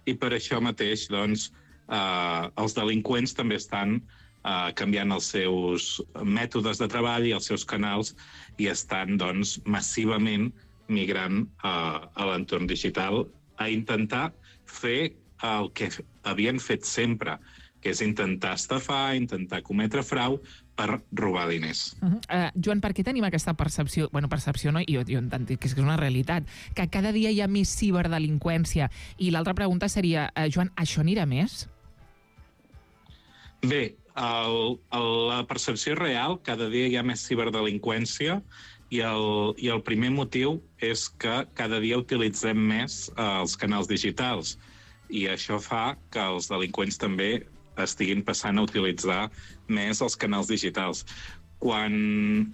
i per això mateix doncs, eh, els delinqüents també estan eh, canviant els seus mètodes de treball i els seus canals i estan doncs, massivament migrant eh, a l'entorn digital a intentar fer el que havien fet sempre, que és intentar estafar, intentar cometre frau per robar diners. Uh-huh. uh, Joan, per què tenim aquesta percepció, bueno, percepció no, jo, jo entenc que és una realitat, que cada dia hi ha més ciberdelinqüència? I l'altra pregunta seria, uh, Joan, això anirà més? Bé, el, el, la percepció real, cada dia hi ha més ciberdelinqüència i el, i el primer motiu és que cada dia utilitzem més uh, els canals digitals i això fa que els delinqüents també estiguin passant a utilitzar més els canals digitals. Quan,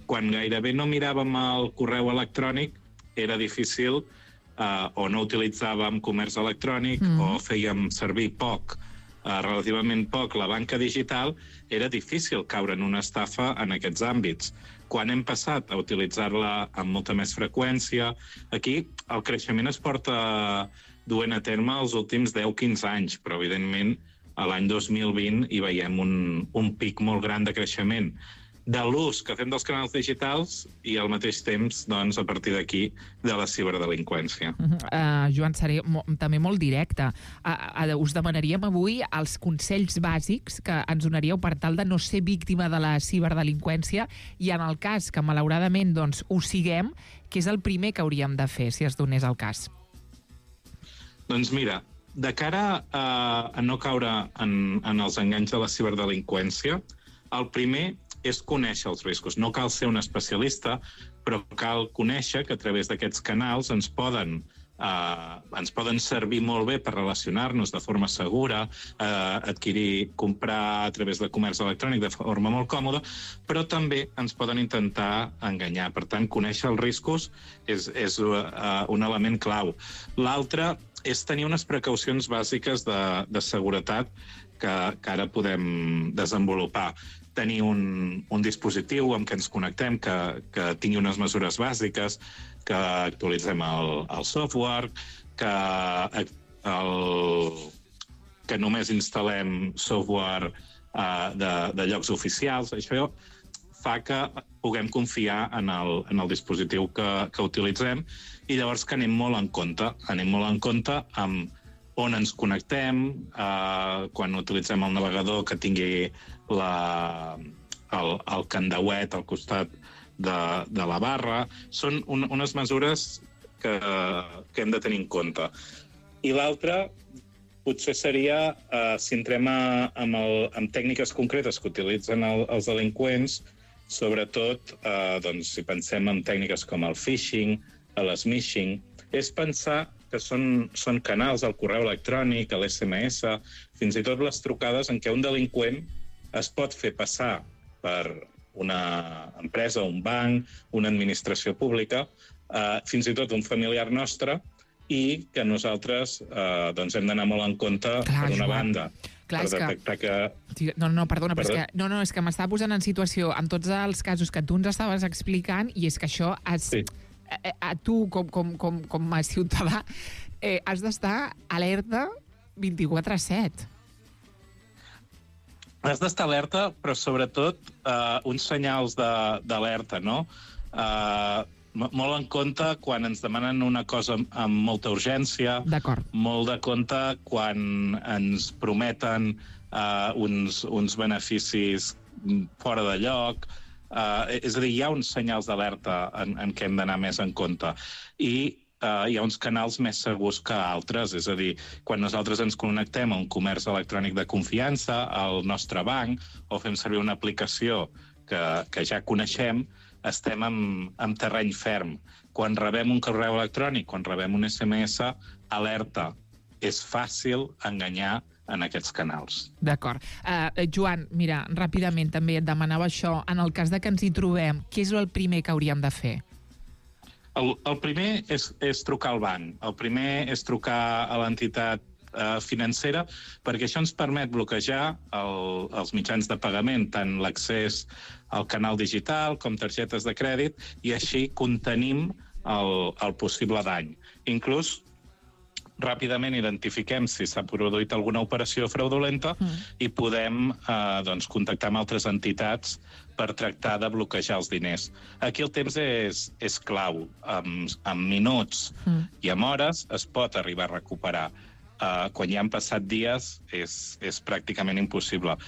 quan gairebé no miràvem el correu electrònic, era difícil, eh, o no utilitzàvem comerç electrònic, mm. o fèiem servir poc, eh, relativament poc, la banca digital, era difícil caure en una estafa en aquests àmbits. Quan hem passat a utilitzar-la amb molta més freqüència, aquí el creixement es porta duent a terme els últims deu a quinze anys, però evidentment a l'any dos mil vint hi veiem un, un pic molt gran de creixement. de l'ús que fem dels canals digitals i al mateix temps, doncs, a partir d'aquí, de la ciberdelinqüència. Uh -huh. uh, Joan, seré mo també molt directe. Uh, uh, us demanaríem avui els consells bàsics que ens donaríeu per tal de no ser víctima de la ciberdelinqüència i en el cas que, malauradament, doncs, ho siguem, què és el primer que hauríem de fer, si es donés el cas? Doncs mira, de cara a, a no caure en, en els enganys de la ciberdelinqüència, el primer és conèixer els riscos. No cal ser un especialista, però cal conèixer que a través d'aquests canals ens poden, eh, ens poden servir molt bé per relacionar-nos de forma segura, eh, adquirir, comprar a través de comerç electrònic de forma molt còmoda, però també ens poden intentar enganyar. Per tant, conèixer els riscos és, és uh, un element clau. L'altre és tenir unes precaucions bàsiques de, de seguretat que, que ara podem desenvolupar. Tenir un, un dispositiu amb què ens connectem, que, que tingui unes mesures bàsiques, que actualitzem el, el software, que, el, que només instal·lem software uh, de, de llocs oficials. Això fa que puguem confiar en el, en el dispositiu que, que utilitzem i llavors que anem molt en compte. Anem molt en compte amb on ens connectem, eh, quan utilitzem el navegador que tingui la, el, el candauet al costat de, de la barra. Són un, unes mesures que, que hem de tenir en compte. I l'altra potser seria, eh, si entrem a, amb, el, amb tècniques concretes que utilitzen el, els delinqüents, sobretot eh, doncs, si pensem en tècniques com el phishing, el smishing, és pensar que són, són canals al correu electrònic, a l'S M S, fins i tot les trucades en què un delinqüent es pot fer passar per una empresa, un banc, una administració pública, eh, fins i tot un familiar nostre, i que nosaltres eh, doncs hem d'anar molt en compte, clar, per una Joan. banda, clar, per detectar que... que... No, no, perdona, però Perdó? és que, no, no, és que m'estava posant en situació amb tots els casos que tu ens estaves explicant i és que això es... Sí. A, a tu, com, com, com, com a ciutadà, eh, has d'estar alerta vint-i-quatre set. Has d'estar alerta, però sobretot eh, uns senyals d'alerta, no? Eh, molt en compte quan ens demanen una cosa amb molta urgència. D'acord. Molt de compte quan ens prometen eh, uns, uns beneficis fora de lloc. Uh, és a dir, hi ha uns senyals d'alerta en, en què hem d'anar més en compte. I uh, hi ha uns canals més segurs que altres. És a dir, quan nosaltres ens connectem a un comerç electrònic de confiança, al nostre banc, o fem servir una aplicació que, que ja coneixem, estem en, en terreny ferm. Quan rebem un correu electrònic, quan rebem un S M S, alerta. És fàcil enganyar en aquests canals. D'acord. Uh, Joan, mira, ràpidament també et demanava això. En el cas de que ens hi trobem, què és el primer que hauríem de fer? El, el primer és, és trucar al banc. El primer és trucar a l'entitat eh, financera, perquè això ens permet bloquejar el, els mitjans de pagament, tant l'accés al canal digital com targetes de crèdit, i així contenim el, el possible dany. Inclús ràpidament identifiquem si s'ha produït alguna operació fraudulenta mm. i podem eh, doncs, contactar amb altres entitats per tractar de bloquejar els diners. Aquí el temps és, és clau. Amb, amb minuts mm. i amb hores es pot arribar a recuperar. Uh, quan ja han passat dies és, és pràcticament impossible.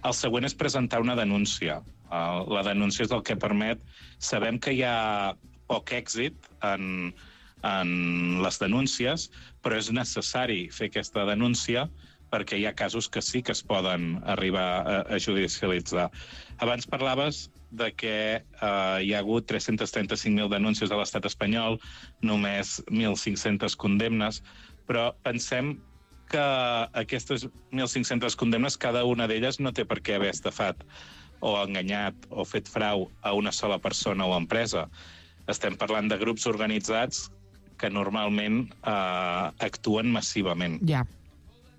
El següent és presentar una denúncia. Uh, la denúncia és el que permet... Sabem que hi ha poc èxit en... en les denúncies, però és necessari fer aquesta denúncia perquè hi ha casos que sí que es poden arribar a, a judicialitzar. Abans parlaves de que eh, hi ha hagut tres-cents trenta-cinc mil denúncies a l'estat espanyol, només mil cinc-centes condemnes, però pensem que aquestes mil cinc-centes condemnes, cada una d'elles no té per què haver estafat o enganyat o fet frau a una sola persona o empresa. Estem parlant de grups organitzats que normalment eh, actuen massivament. Ja.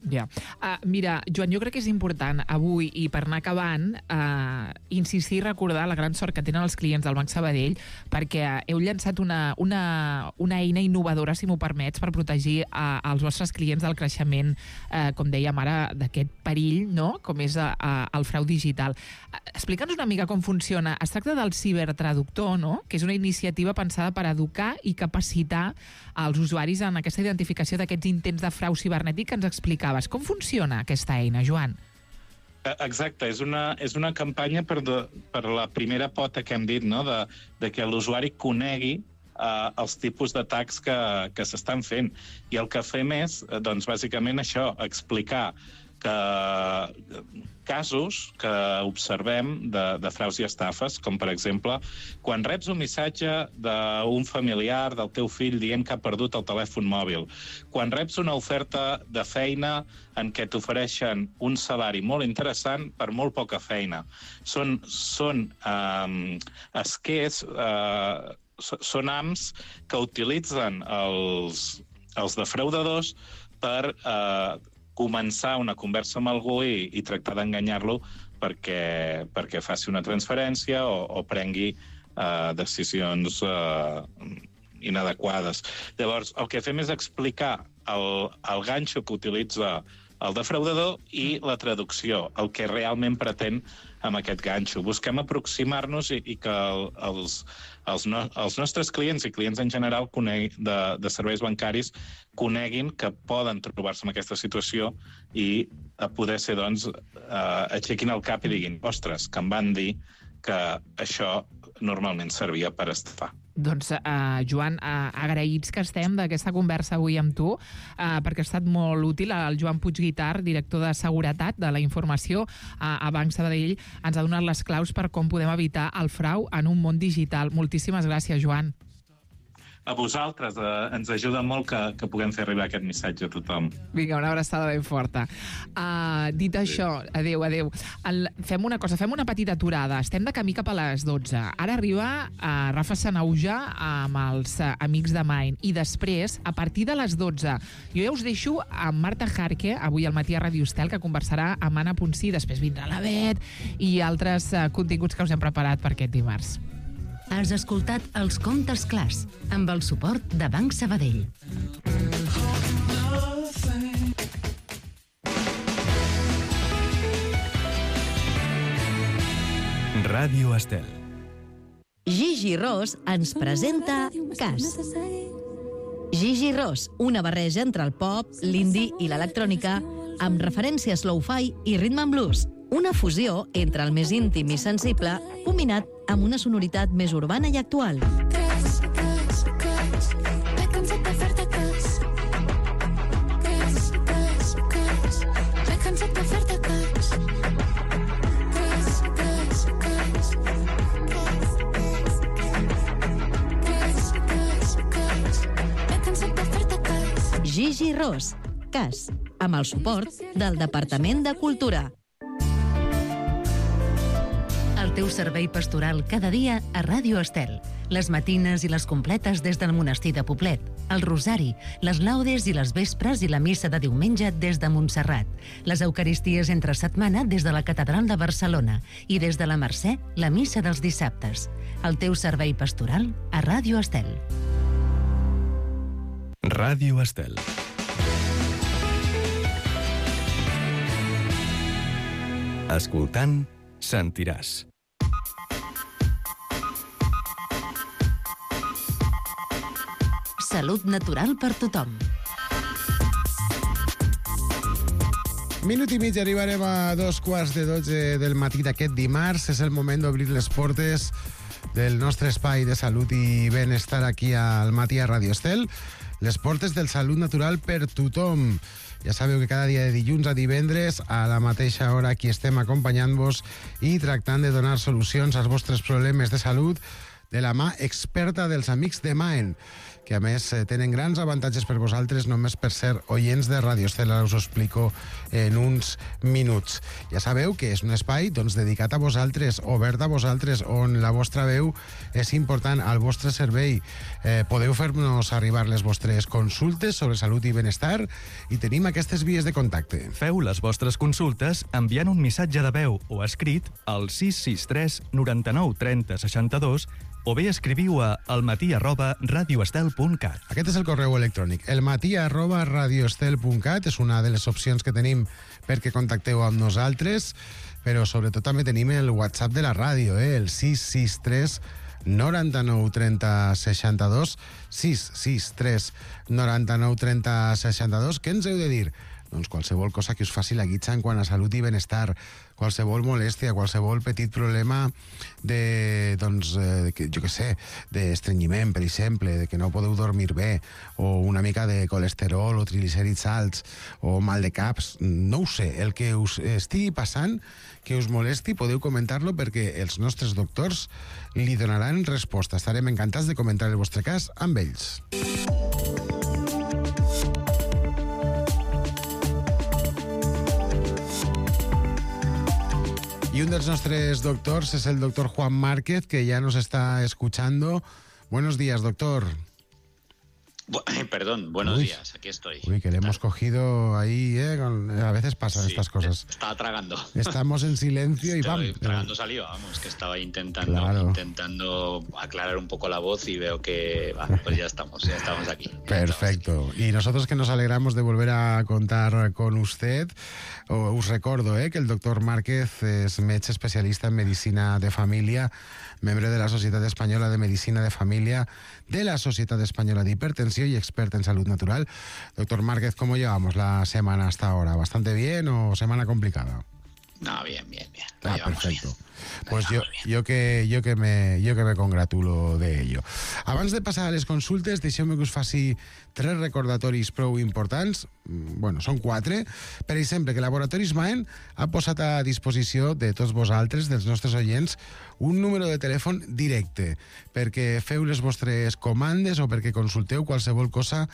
Ja. Uh, mira, Joan, jo crec que és important avui, i per anar acabant, uh, insistir i recordar la gran sort que tenen els clients del Banc Sabadell, perquè heu llançat una, una, una eina innovadora, si m'ho permets, per protegir uh, els vostres clients del creixement, uh, com dèiem ara, d'aquest perill, no?, com és uh, uh, el frau digital. Uh, Explica'ns una mica com funciona. Es tracta del cibertraductor, no?, que és una iniciativa pensada per educar i capacitar els usuaris en aquesta identificació d'aquests intents de frau cibernètic que ens explicaves. Com funciona aquesta eina, Joan? Exacte, és una, és una campanya per, de, per la primera pota que hem dit, no?, de, de que l'usuari conegui uh, els tipus d'atacs que, que s'estan fent. I el que fem és, doncs, bàsicament això, explicar que casos que observem de, de fraus i estafes, com per exemple, quan reps un missatge d'un familiar del teu fill dient que ha perdut el telèfon mòbil, quan reps una oferta de feina en què t'ofereixen un salari molt interessant per molt poca feina. Són, són eh, esquers, eh, són ams que utilitzen els, els defraudadors per eh, començar una conversa amb algú i, i tractar d'enganyar-lo perquè, perquè faci una transferència o, o prengui uh, decisions uh, inadequades. Llavors, el que fem és explicar el, el ganxo que utilitza el defraudador i la traducció, el que realment pretén amb aquest ganxo. Busquem aproximar-nos i, i que el, els, els, no, els nostres clients i clients en general conegui, de, de serveis bancaris coneguin que poden trobar-se en aquesta situació i a poder ser, doncs, eh, aixequin el cap i diguin, ostres, que em van dir que això normalment servia per estafar. Doncs, uh, Joan, uh, agraïts que estem d'aquesta conversa avui amb tu, uh, perquè ha estat molt útil. El Joan Puigguitart, director de Seguretat de la Informació uh, a Banc Sabadell, ens ha donat les claus per com podem evitar el frau en un món digital. Moltíssimes gràcies, Joan. A vosaltres, eh, ens ajuda molt que, que puguem fer arribar aquest missatge a tothom. Vinga, una abraçada ben forta. Uh, dit sí. això, adeu, adeu. El, fem una cosa, fem una petita aturada. Estem de camí cap a les dotze. Ara arriba uh, Rafa Sanauja amb els uh, amics de Main. I després, a partir de les dotze, jo ja us deixo amb Marta Jarque, avui al matí a Ràdio Estel, que conversarà amb Anna Ponsí. Després vindrà la Bet i altres uh, continguts que us hem preparat per aquest dimarts. Has escoltat Els Contes Clars, amb el suport de Banc Sabadell. Ràdio Estel. Gigi Ros ens presenta Cas. Gigi Ros, una barreja entre el pop, l'indie i l'electrònica, amb referències lo-fi i rhythm and blues. Una fusió entre el més íntim i sensible, combinat amb una sonoritat més urbana i actual. Cas, cas, cas, m'he cansat de fer-te cas. Cas, cas, cas, m'he cansat de fer-te cas. Cas, cas, cas, cas, cas, cas, m'he cansat de fer-te cas. Gigi Ros, Cas, amb el suport del Departament de Cultura. El teu servei pastoral cada dia a Ràdio Estel. Les matines i les completes des del monestir de Poblet, el rosari, les laudes i les vespres i la missa de diumenge des de Montserrat, les eucaristies entre setmana des de la Catedral de Barcelona i des de la Mercè, la missa dels dissabtes. El teu servei pastoral a Ràdio Estel. Ràdio Estel. Escoltant, sentiràs. Salut natural per tothom. Minut i mig, arribarem a dos quarts de dotze del matí d'aquest dimarts. És el moment d'obrir les portes del nostre espai de salut i benestar aquí al matí a Ràdio Estel. Les portes del Salut Natural per tothom. Ja sabeu que cada dia de dilluns a divendres, a la mateixa hora, aquí estem acompanyant-vos i tractant de donar solucions als vostres problemes de salut, de la mà experta dels amics de Maen, que a més tenen grans avantatges per vosaltres només per ser oients de Ràdio Estel. Ara us ho explico en uns minuts. Ja sabeu que és un espai doncs, dedicat a vosaltres, obert a vosaltres, on la vostra veu és important, al vostre servei. Eh, podeu fer-nos arribar les vostres consultes sobre salut i benestar i tenim aquestes vies de contacte. Feu les vostres consultes enviant un missatge de veu o escrit al sis sis tres noranta-nou trenta seixanta-dos o bé escriviu a almatí arroba radioestel punt cat. Aquest és el correu electrònic. elmatí arroba radioestel punt cat és una de les opcions que tenim perquè contacteu amb nosaltres, però sobretot també tenim el WhatsApp de la ràdio, eh? el sis sis tres noranta-nou trenta seixanta-dos, sis sis tres noranta-nou trenta seixanta-dos. Què ens heu de dir? Doncs qualsevol cosa que us faci la guitza en quant a salut i benestar, qualsevol molèstia, qualsevol petit problema de, doncs, eh, que, jo què sé, d'estrenyiment, per exemple, de que no podeu dormir bé, o una mica de colesterol o triglicèrids alts, o mal de caps, no ho sé, el que us estigui passant, que us molesti, podeu comentar-lo perquè els nostres doctors li donaran resposta. Estarem encantats de comentar el vostre cas amb ells. Y un de nuestros doctores es el doctor Juan Márquez, que ya nos está escuchando. Buenos días, doctor. Bu Perdón, buenos Uy. días, aquí estoy. Uy, que le hemos cogido ahí, ¿eh? Con- a veces pasan Sí, estas cosas. Estaba tragando. Estamos en silencio y Estoy ¡pam! tragando saliva, vamos, que estaba intentando, Claro. intentando aclarar un poco la voz y veo que, va, pues ya estamos, ya estamos aquí. Perfecto. Y nosotros que nos alegramos de volver a contar con usted, o- us recordo eh, que el doctor Márquez es metge especialista en medicina de familia, membre de la Societat Espanyola de Medicina de Familia, de la Societat Española de Hipertensión y experta en salud natural. Doctor Márquez, ¿cómo llevamos la semana hasta ahora? ¿Bastante bien o semana complicada? No, bien, bien, bien. Lo Ah, llevamos perfecto. bien. Pues yo, yo, que, yo, que me, yo que me congratulo de ello. Abans de passar a les consultes, deixeu-me que us faci tres recordatoris prou importants. Mm, Bueno, són quatre. Per exemple, que Laboratoris Maen ha posat a disposició de tots vosaltres, dels nostres oients, un número de telèfon directe perquè feu les vostres comandes o perquè consulteu qualsevol cosa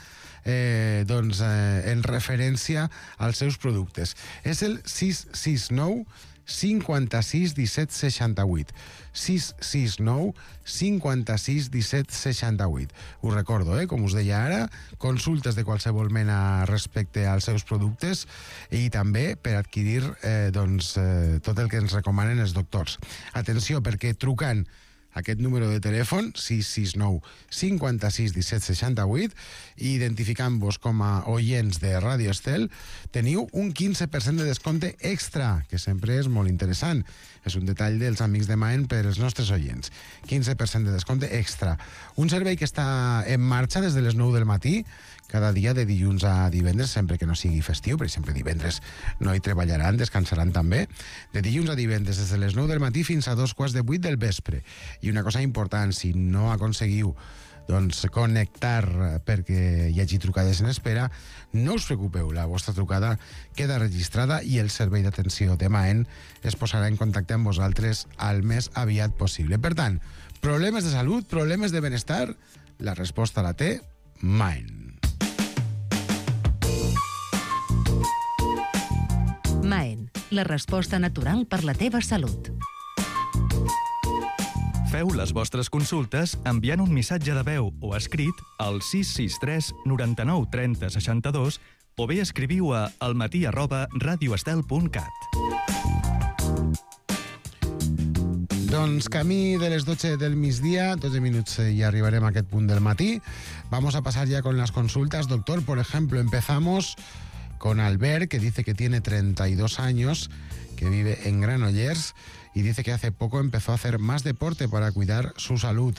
eh, doncs, eh, en referència als seus productes. És el sis sis nou cinquanta-sis disset seixanta-vuit. sis sis nou cinquanta-sis disset seixanta-vuit. Us recordo, eh, com us deia ara, consultes de qualsevol mena respecte als seus productes i també per adquirir eh, doncs, eh, tot el que ens recomanen els doctors. Atenció, perquè trucant aquest número de telèfon, sis sis nou cinquanta-sis disset seixanta-vuit, i identificant-vos com a oients de Ràdio Estel, teniu un quinze per cent de descompte extra, que sempre és molt interessant. És un detall dels amics de Maen per als nostres oients. quinze per cent de descompte extra. Un servei que està en marxa des de les nou del matí, cada dia de dilluns a divendres, sempre que no sigui festiu, per exemple, divendres no hi treballaran, descansaran també, de dilluns a divendres, des de les nou del matí fins a dos quarts de vuit del vespre. I una cosa important, si no aconseguiu doncs, connectar perquè hi hagi trucades en espera, no us preocupeu, la vostra trucada queda registrada i el servei d'atenció de Maen es posarà en contacte amb vosaltres al més aviat possible. Per tant, problemes de salut, problemes de benestar, la resposta la té Maen. Maen, la resposta natural per la teva salut. Feu les vostres consultes enviant un missatge de veu o escrit al sis sis tres noranta-nou trenta seixanta-dos o bé escriviu a almatí arroba radioestel punt cat. Doncs camí de les dotze del migdia, dotze minuts eh, y arribarem a aquest punt del matí. Vamos a pasar ya con las consultas. Doctor, por ejemplo, empezamos con Albert, que dice que tiene treinta y dos años, que vive en Granollers, y dice que hace poco empezó a hacer más deporte para cuidar su salud,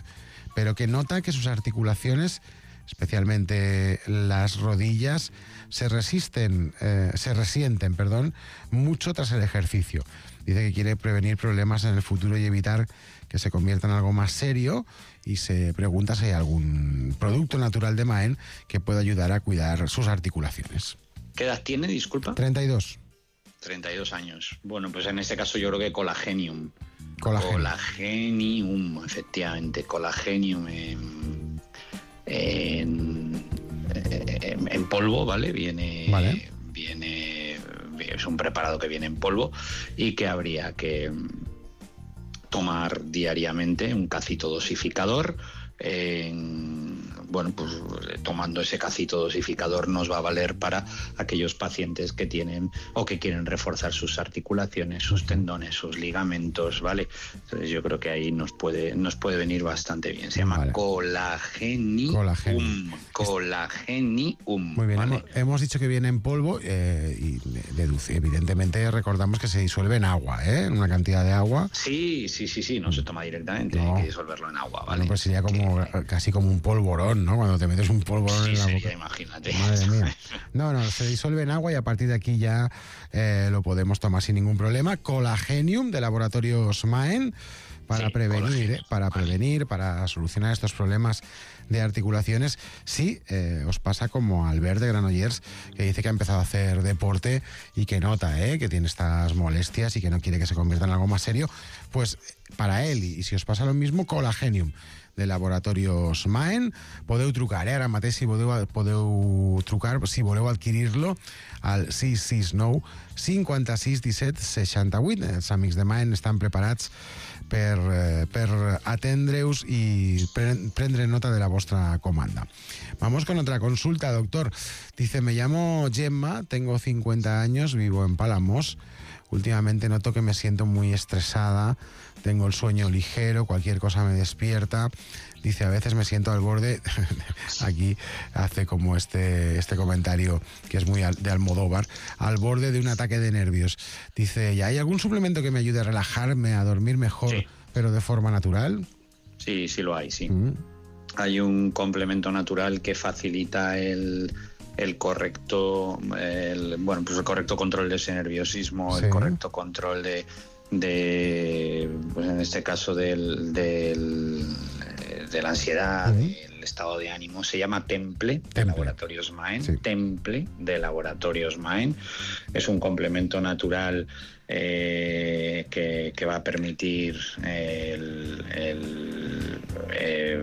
pero que nota que sus articulaciones, especialmente las rodillas, se resisten, eh, se resienten, perdón, mucho tras el ejercicio. Dice que quiere prevenir problemas en el futuro y evitar que se convierta en algo más serio, y se pregunta si hay algún producto natural de Maen que pueda ayudar a cuidar sus articulaciones. ¿Qué edad tiene, disculpa? treinta y dos. treinta y dos años. Bueno, pues en este caso yo creo que Colagenium Colagenium. Colagenium, efectivamente, Colagenium en, en, en, en polvo, ¿vale? Viene, vale. viene, es un preparado que viene en polvo y que habría que tomar diariamente, un cacito dosificador. En, bueno, pues tomando ese cacito dosificador nos va a valer para aquellos pacientes que tienen o que quieren reforzar sus articulaciones, sus tendones, sus ligamentos, ¿vale? Entonces yo creo que ahí nos puede, nos puede venir bastante bien. Se llama vale. Colagenium. Colagenium. Colagenium. Muy bien, ¿vale? hemos, hemos dicho que viene en polvo eh, y deduce, evidentemente recordamos que se disuelve en agua, ¿eh? En una cantidad de agua. Sí, sí, sí, sí, no se toma directamente, no. Hay que disolverlo en agua, ¿vale? Bueno, pues sería como casi como un polvorón, ¿no? Cuando te metes un polvorón sí, en la sería, boca. Imagínate. Madre mía. No, no, se disuelve en agua y a partir de aquí ya eh, lo podemos tomar sin ningún problema. Colagenium de Laboratorios Maen para sí, prevenir, eh, para prevenir, para solucionar estos problemas de articulaciones. Sí, eh, os pasa como a Albert de Granollers, que dice que ha empezado a hacer deporte y que nota eh, que tiene estas molestias y que no quiere que se convierta en algo más serio. Pues para él, y, y si os pasa lo mismo, Colagenium de Laboratorios Maen, podeu trucar, eh? Ara mateix si podeu, podeu trucar, si voleu adquirir-lo al sis sis nou cinquanta-sis disset seixanta-vuit. Els amics de Maen estan preparats per, eh, per atendre-us i pre prendre nota de la vostra comanda. Vamos con otra consulta, doctor. Dice, me llamo Gemma, tengo cincuenta años, vivo en Palamos. Últimamente noto que me siento muy estresada, tengo el sueño ligero, cualquier cosa me despierta. Dice, a veces me siento al borde, aquí hace como este, este comentario que es muy al, de Almodóvar, al borde de un ataque de nervios. Dice, ¿y hay algún suplemento que me ayude a relajarme, a dormir mejor, sí. pero de forma natural? Sí, sí lo hay, sí. Mm. Hay un complemento natural que facilita el... el correcto el, bueno, pues el correcto control de ese nerviosismo, sí. el correcto control de, de pues en este caso del, del de la ansiedad, sí. del estado de ánimo. Se llama Temple, Temple. de Laboratorios Maen. Sí. Temple de Laboratorios Maen. Es un complemento natural eh, que, que va a permitir el, el eh,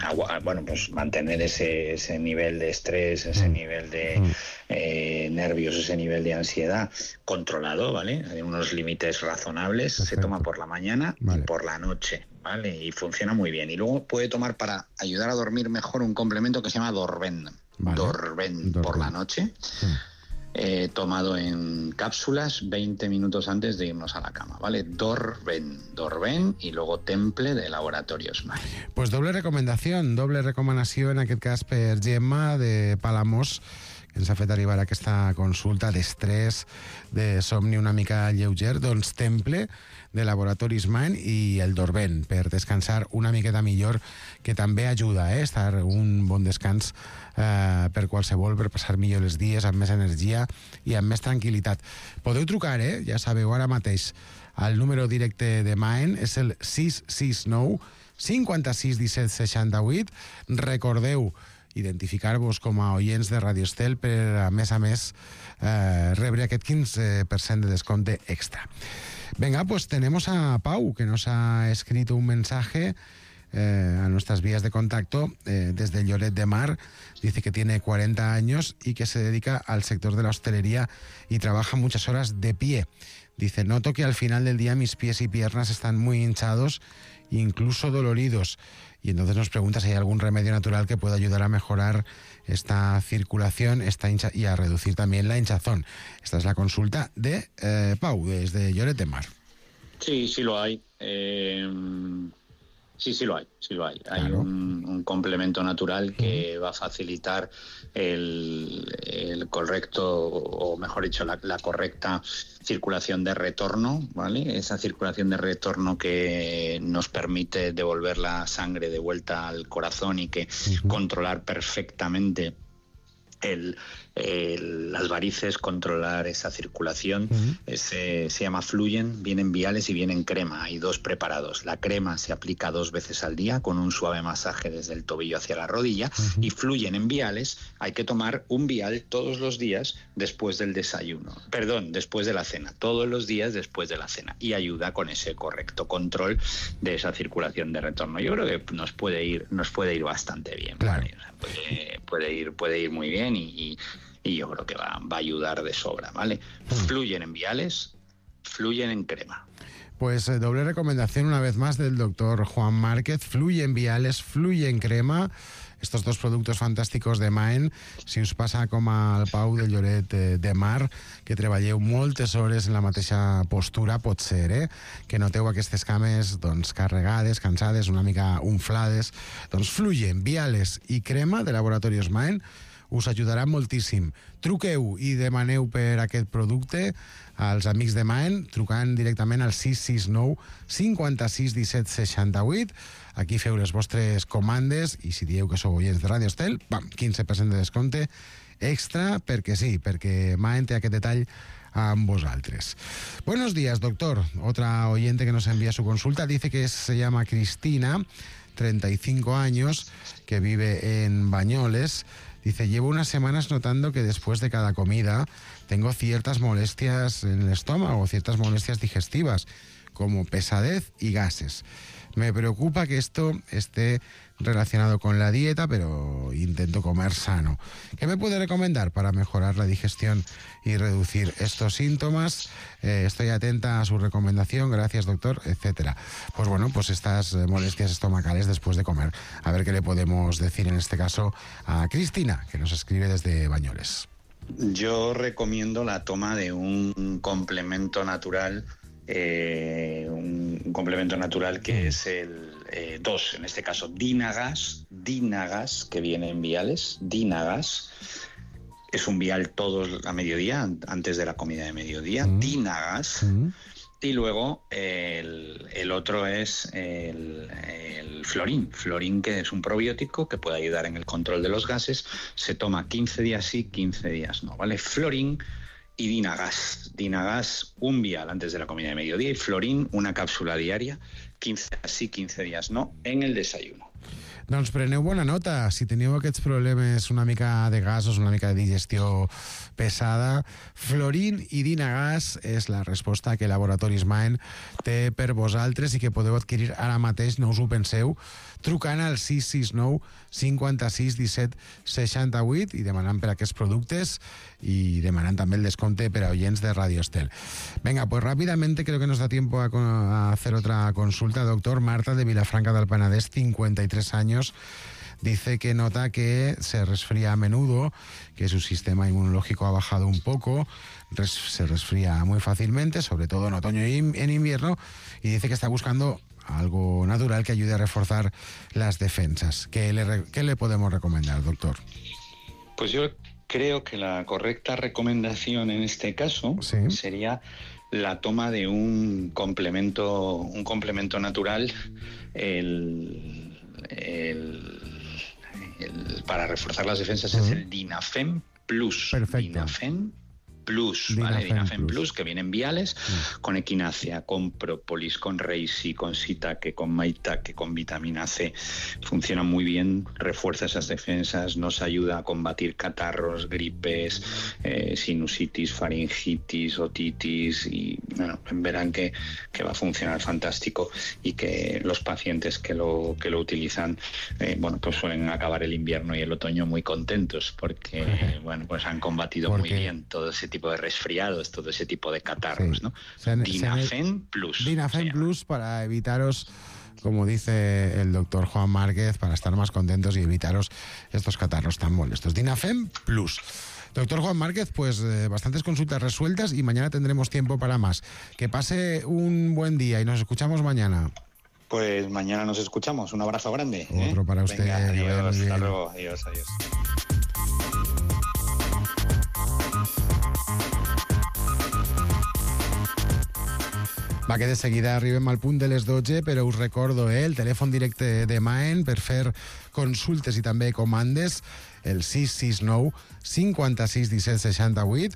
agua, bueno, pues mantener ese, ese nivel de estrés, ese mm. nivel de mm. eh, nervios, ese nivel de ansiedad controlado, ¿vale? Hay unos límites razonables. Perfecto. Se toma por la mañana vale. y por la noche, ¿vale? Y funciona muy bien. Y luego puede tomar para ayudar a dormir mejor un complemento que se llama Dorven. Vale. Dorven, Dorven por la noche. Sí. Eh, tomado en cápsulas veinte minutos antes de irnos a la cama, ¿vale? Dorven, Dorven i luego Temple de Laboratorios Maen. Pues doble recomanació, doble recomanació en aquest cas per Gemma de Palamós, que ens ha fet arribar aquesta consulta d'estrès, de somni una mica lleuger. Doncs Temple de Laboratoris Maen i el Dorven per descansar una miqueta millor, que també ajuda a eh, estar un bon descans eh, per qualsevol, per passar millor els dies amb més energia i amb més tranquil·litat. Podeu trucar, eh? Ja sabeu, ara mateix el número directe de Maen és el sis sis nou cinquanta-sis disset seixanta-vuit. Recordeu identificar-vos com a oients de Radio Estel per, a més a més, eh, rebre aquest quince per cent de descompte extra. Venga, pues tenemos a Pau, que nos ha escrito un mensaje eh, a nuestras vías de contacto eh, desde Lloret de Mar. Dice que tiene cuarenta años y que se dedica al sector de la hostelería y trabaja muchas horas de pie. Dice, noto que al final del día mis pies y piernas están muy hinchados, incluso doloridos. Y entonces nos pregunta si hay algún remedio natural que pueda ayudar a mejorar esta circulación esta hincha y a reducir también la hinchazón. Esta es la consulta de eh, Pau, desde Lloret de Mar. Sí, sí lo hay. Eh, sí, sí lo hay. Sí lo hay. Hay claro. un, un complemento natural que uh-huh. va a facilitar el, el correcto, o mejor dicho, la, la correcta circulación de retorno, ¿vale? Esa circulación de retorno que nos permite devolver la sangre de vuelta al corazón y que uh-huh. controlar perfectamente el, el, las varices, controlar esa circulación. Uh-huh. Ese, se llama Fluyen, vienen viales y vienen crema. Hay dos preparados. La crema se aplica dos veces al día con un suave masaje desde el tobillo hacia la rodilla. Uh-huh. Y Fluyen en viales. Hay que tomar un vial todos los días después del desayuno. Perdón, después de la cena. Todos los días después de la cena. Y ayuda con ese correcto control de esa circulación de retorno. Yo creo que nos puede ir, nos puede ir bastante bien. Claro. ¿Vale? O sea, puede, puede ir, puede ir muy bien. Y, y, y yo creo que va, va a ayudar de sobra, ¿vale? Fluyen en viales, fluyen en crema. Pues eh, doble recomendación una vez más del doctor Juan Márquez. Fluye en viales, fluye en crema. Estos dos productos fantàsticos de Maen. Si us passa com al Pau de Lloret de, de Mar, que treballeu moltes hores en la mateixa postura, pot ser, eh? Que noteu aquestes cames doncs, carregades, cansades, una mica unflades. Doncs Fluyen, viales i crema de Laboratorios Maen us ajudarà moltíssim. Truqueu i demaneu per aquest producte als amics de Maen, trucant directament al sis sis nou cinquanta-sis disset seixanta-vuit. Aquí feu les vostres comandes i si dieu que sou oients de Radio Estel, pam, quinze per cent de descompte extra, perquè sí, perquè Maen té aquest detall amb vosaltres. Buenos días, doctor. Otra oyente que nos envía su consulta dice que se llama Cristina, treinta y cinco años, que vive en Bañoles. Dice, llevo unas semanas notando que después de cada comida tengo ciertas molestias en el estómago, ciertas molestias digestivas, como pesadez y gases. Me preocupa que esto esté relacionado con la dieta, pero intento comer sano. ¿Qué me puede recomendar para mejorar la digestión y reducir estos síntomas? Eh, estoy atenta a su recomendación, gracias doctor, etcétera. Pues bueno, pues estas molestias estomacales después de comer. A ver qué le podemos decir en este caso a Cristina, que nos escribe desde Bañoles. Yo recomiendo la toma de un complemento natural, eh, un, un complemento natural que es el eh, dos, en este caso Dinagas, Dinagas, que viene en viales, Dinagas. Es un vial todos a mediodía, antes de la comida de mediodía, mm. Dinagas. Mm. Y luego el, el otro es el, el Florin. Florin, que es un probiótico que puede ayudar en el control de los gases. Se toma quince días sí, quince días no, ¿vale? Florin y Dinagas. Dinagas, un vial antes de la comida de mediodía, y Florin, una cápsula diaria, quinze días sí, quince días no, en el desayuno. Doncs preneu bona nota. Si teniu aquests problemes una mica de gasos, una mica de digestió pesada, Florin i Dinagas és la resposta que Laboratoris Maen té per vosaltres i que podeu adquirir ara mateix, no us ho penseu, trucant al sis sis nou cinquanta-sis disset seixanta-vuit i demanant per aquests productes y demanant també el desconte per a oyents de Radio Estel. Venga, pues rápidamente creo que nos da tiempo a, a hacer otra consulta. Doctor, Marta de Vilafranca del Penedès, cincuenta y tres años, dice que nota que se resfría a menudo, que su sistema inmunológico ha bajado un poco, res, se resfría muy fácilmente, sobre todo en otoño y en invierno, y dice que está buscando algo natural que ayude a reforzar las defensas. ¿Qué le, qué le podemos recomendar, doctor? Pues yo creo que la correcta recomendación en este caso ¿sí? sería la toma de un complemento, un complemento natural, el, el, el, para reforzar las defensas uh-huh. es el Dinafem Plus. Perfecto. Dinafem Plus, Dinafem ¿vale? Dinafem Plus. Plus, que viene en viales, mm. con equinacia, con própolis, con reishi, con shiitake, con maitake, con vitamina C. Funciona muy bien, refuerza esas defensas, nos ayuda a combatir catarros, gripes, eh, sinusitis, faringitis, otitis, y bueno, verán que, que va a funcionar fantástico y que los pacientes que lo, que lo utilizan, eh, bueno, pues suelen acabar el invierno y el otoño muy contentos porque, bueno, pues han combatido porque... muy bien todo ese tipo de resfriados, todo ese tipo de catarros, sí. ¿no? Se, Dinafem se, Plus. Dinafem Plus para evitaros, como dice el doctor Juan Márquez, para estar más contentos y evitaros estos catarros tan molestos. Dinafem Plus. Doctor Juan Márquez, pues eh, bastantes consultas resueltas y mañana tendremos tiempo para más. Que pase un buen día y nos escuchamos mañana. Pues mañana nos escuchamos. Un abrazo grande. Otro ¿eh? para usted. Venga, adiós, hasta luego. Adiós, adiós. Va, que de seguida arribem al punt de les dotze, però us recordo eh, el telèfon directe de Maen per fer consultes i també comandes, el sis sis nou cinquanta-sis disset seixanta-vuit.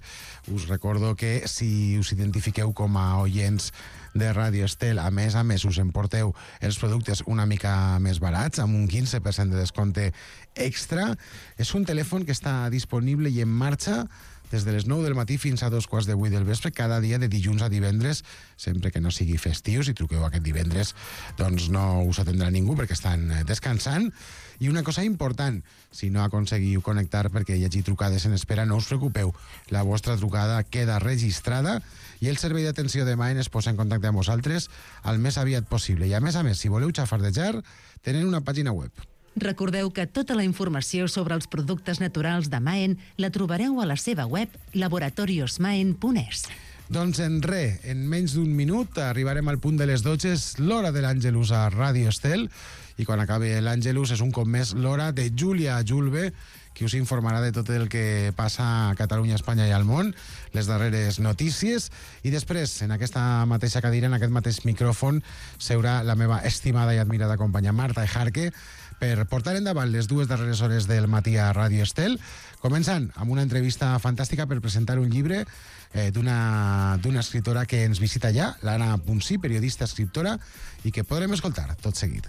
Us recordo que si us identifiqueu com a oients de Ràdio Estel, a més a més us emporteu els productes una mica més barats, amb un quinze per cent de descompte extra. És un telèfon que està disponible i en marxa des de les nou del matí fins a dos quarts de vuit del vespre, cada dia de dilluns a divendres, sempre que no sigui festiu. Si truqueu aquest divendres, doncs no us atendrà ningú perquè estan descansant. I una cosa important, si no aconseguiu connectar perquè hi hagi trucades en espera, no us preocupeu, la vostra trucada queda registrada i el servei d'atenció de Maen es posa en contacte amb vosaltres el més aviat possible. I a més a més, si voleu xafardejar, tenen una pàgina web. Recordeu que tota la informació sobre els productes naturals de Maen la trobareu a la seva web laboratorios maen punt es. Doncs en res, en menys d'un minut arribarem al punt de les dotze, és l'hora de l'Àngelus a Ràdio Estel, i quan acabi l'Àngelus és un cop més l'hora de Júlia Julve, qui us informarà de tot el que passa a Catalunya, Espanya i al món, les darreres notícies, i després, en aquesta mateixa cadira, en aquest mateix micròfon, seurà la meva estimada i admirada companya Marta Ejarque, per portar endavant les dues darreres hores del matí a Ràdio Estel, començant amb una entrevista fantàstica per presentar un llibre eh, d'una d'una escriptora que ens visita ja, l'Anna Ponsí, periodista, escriptora, i que podrem escoltar tot seguit.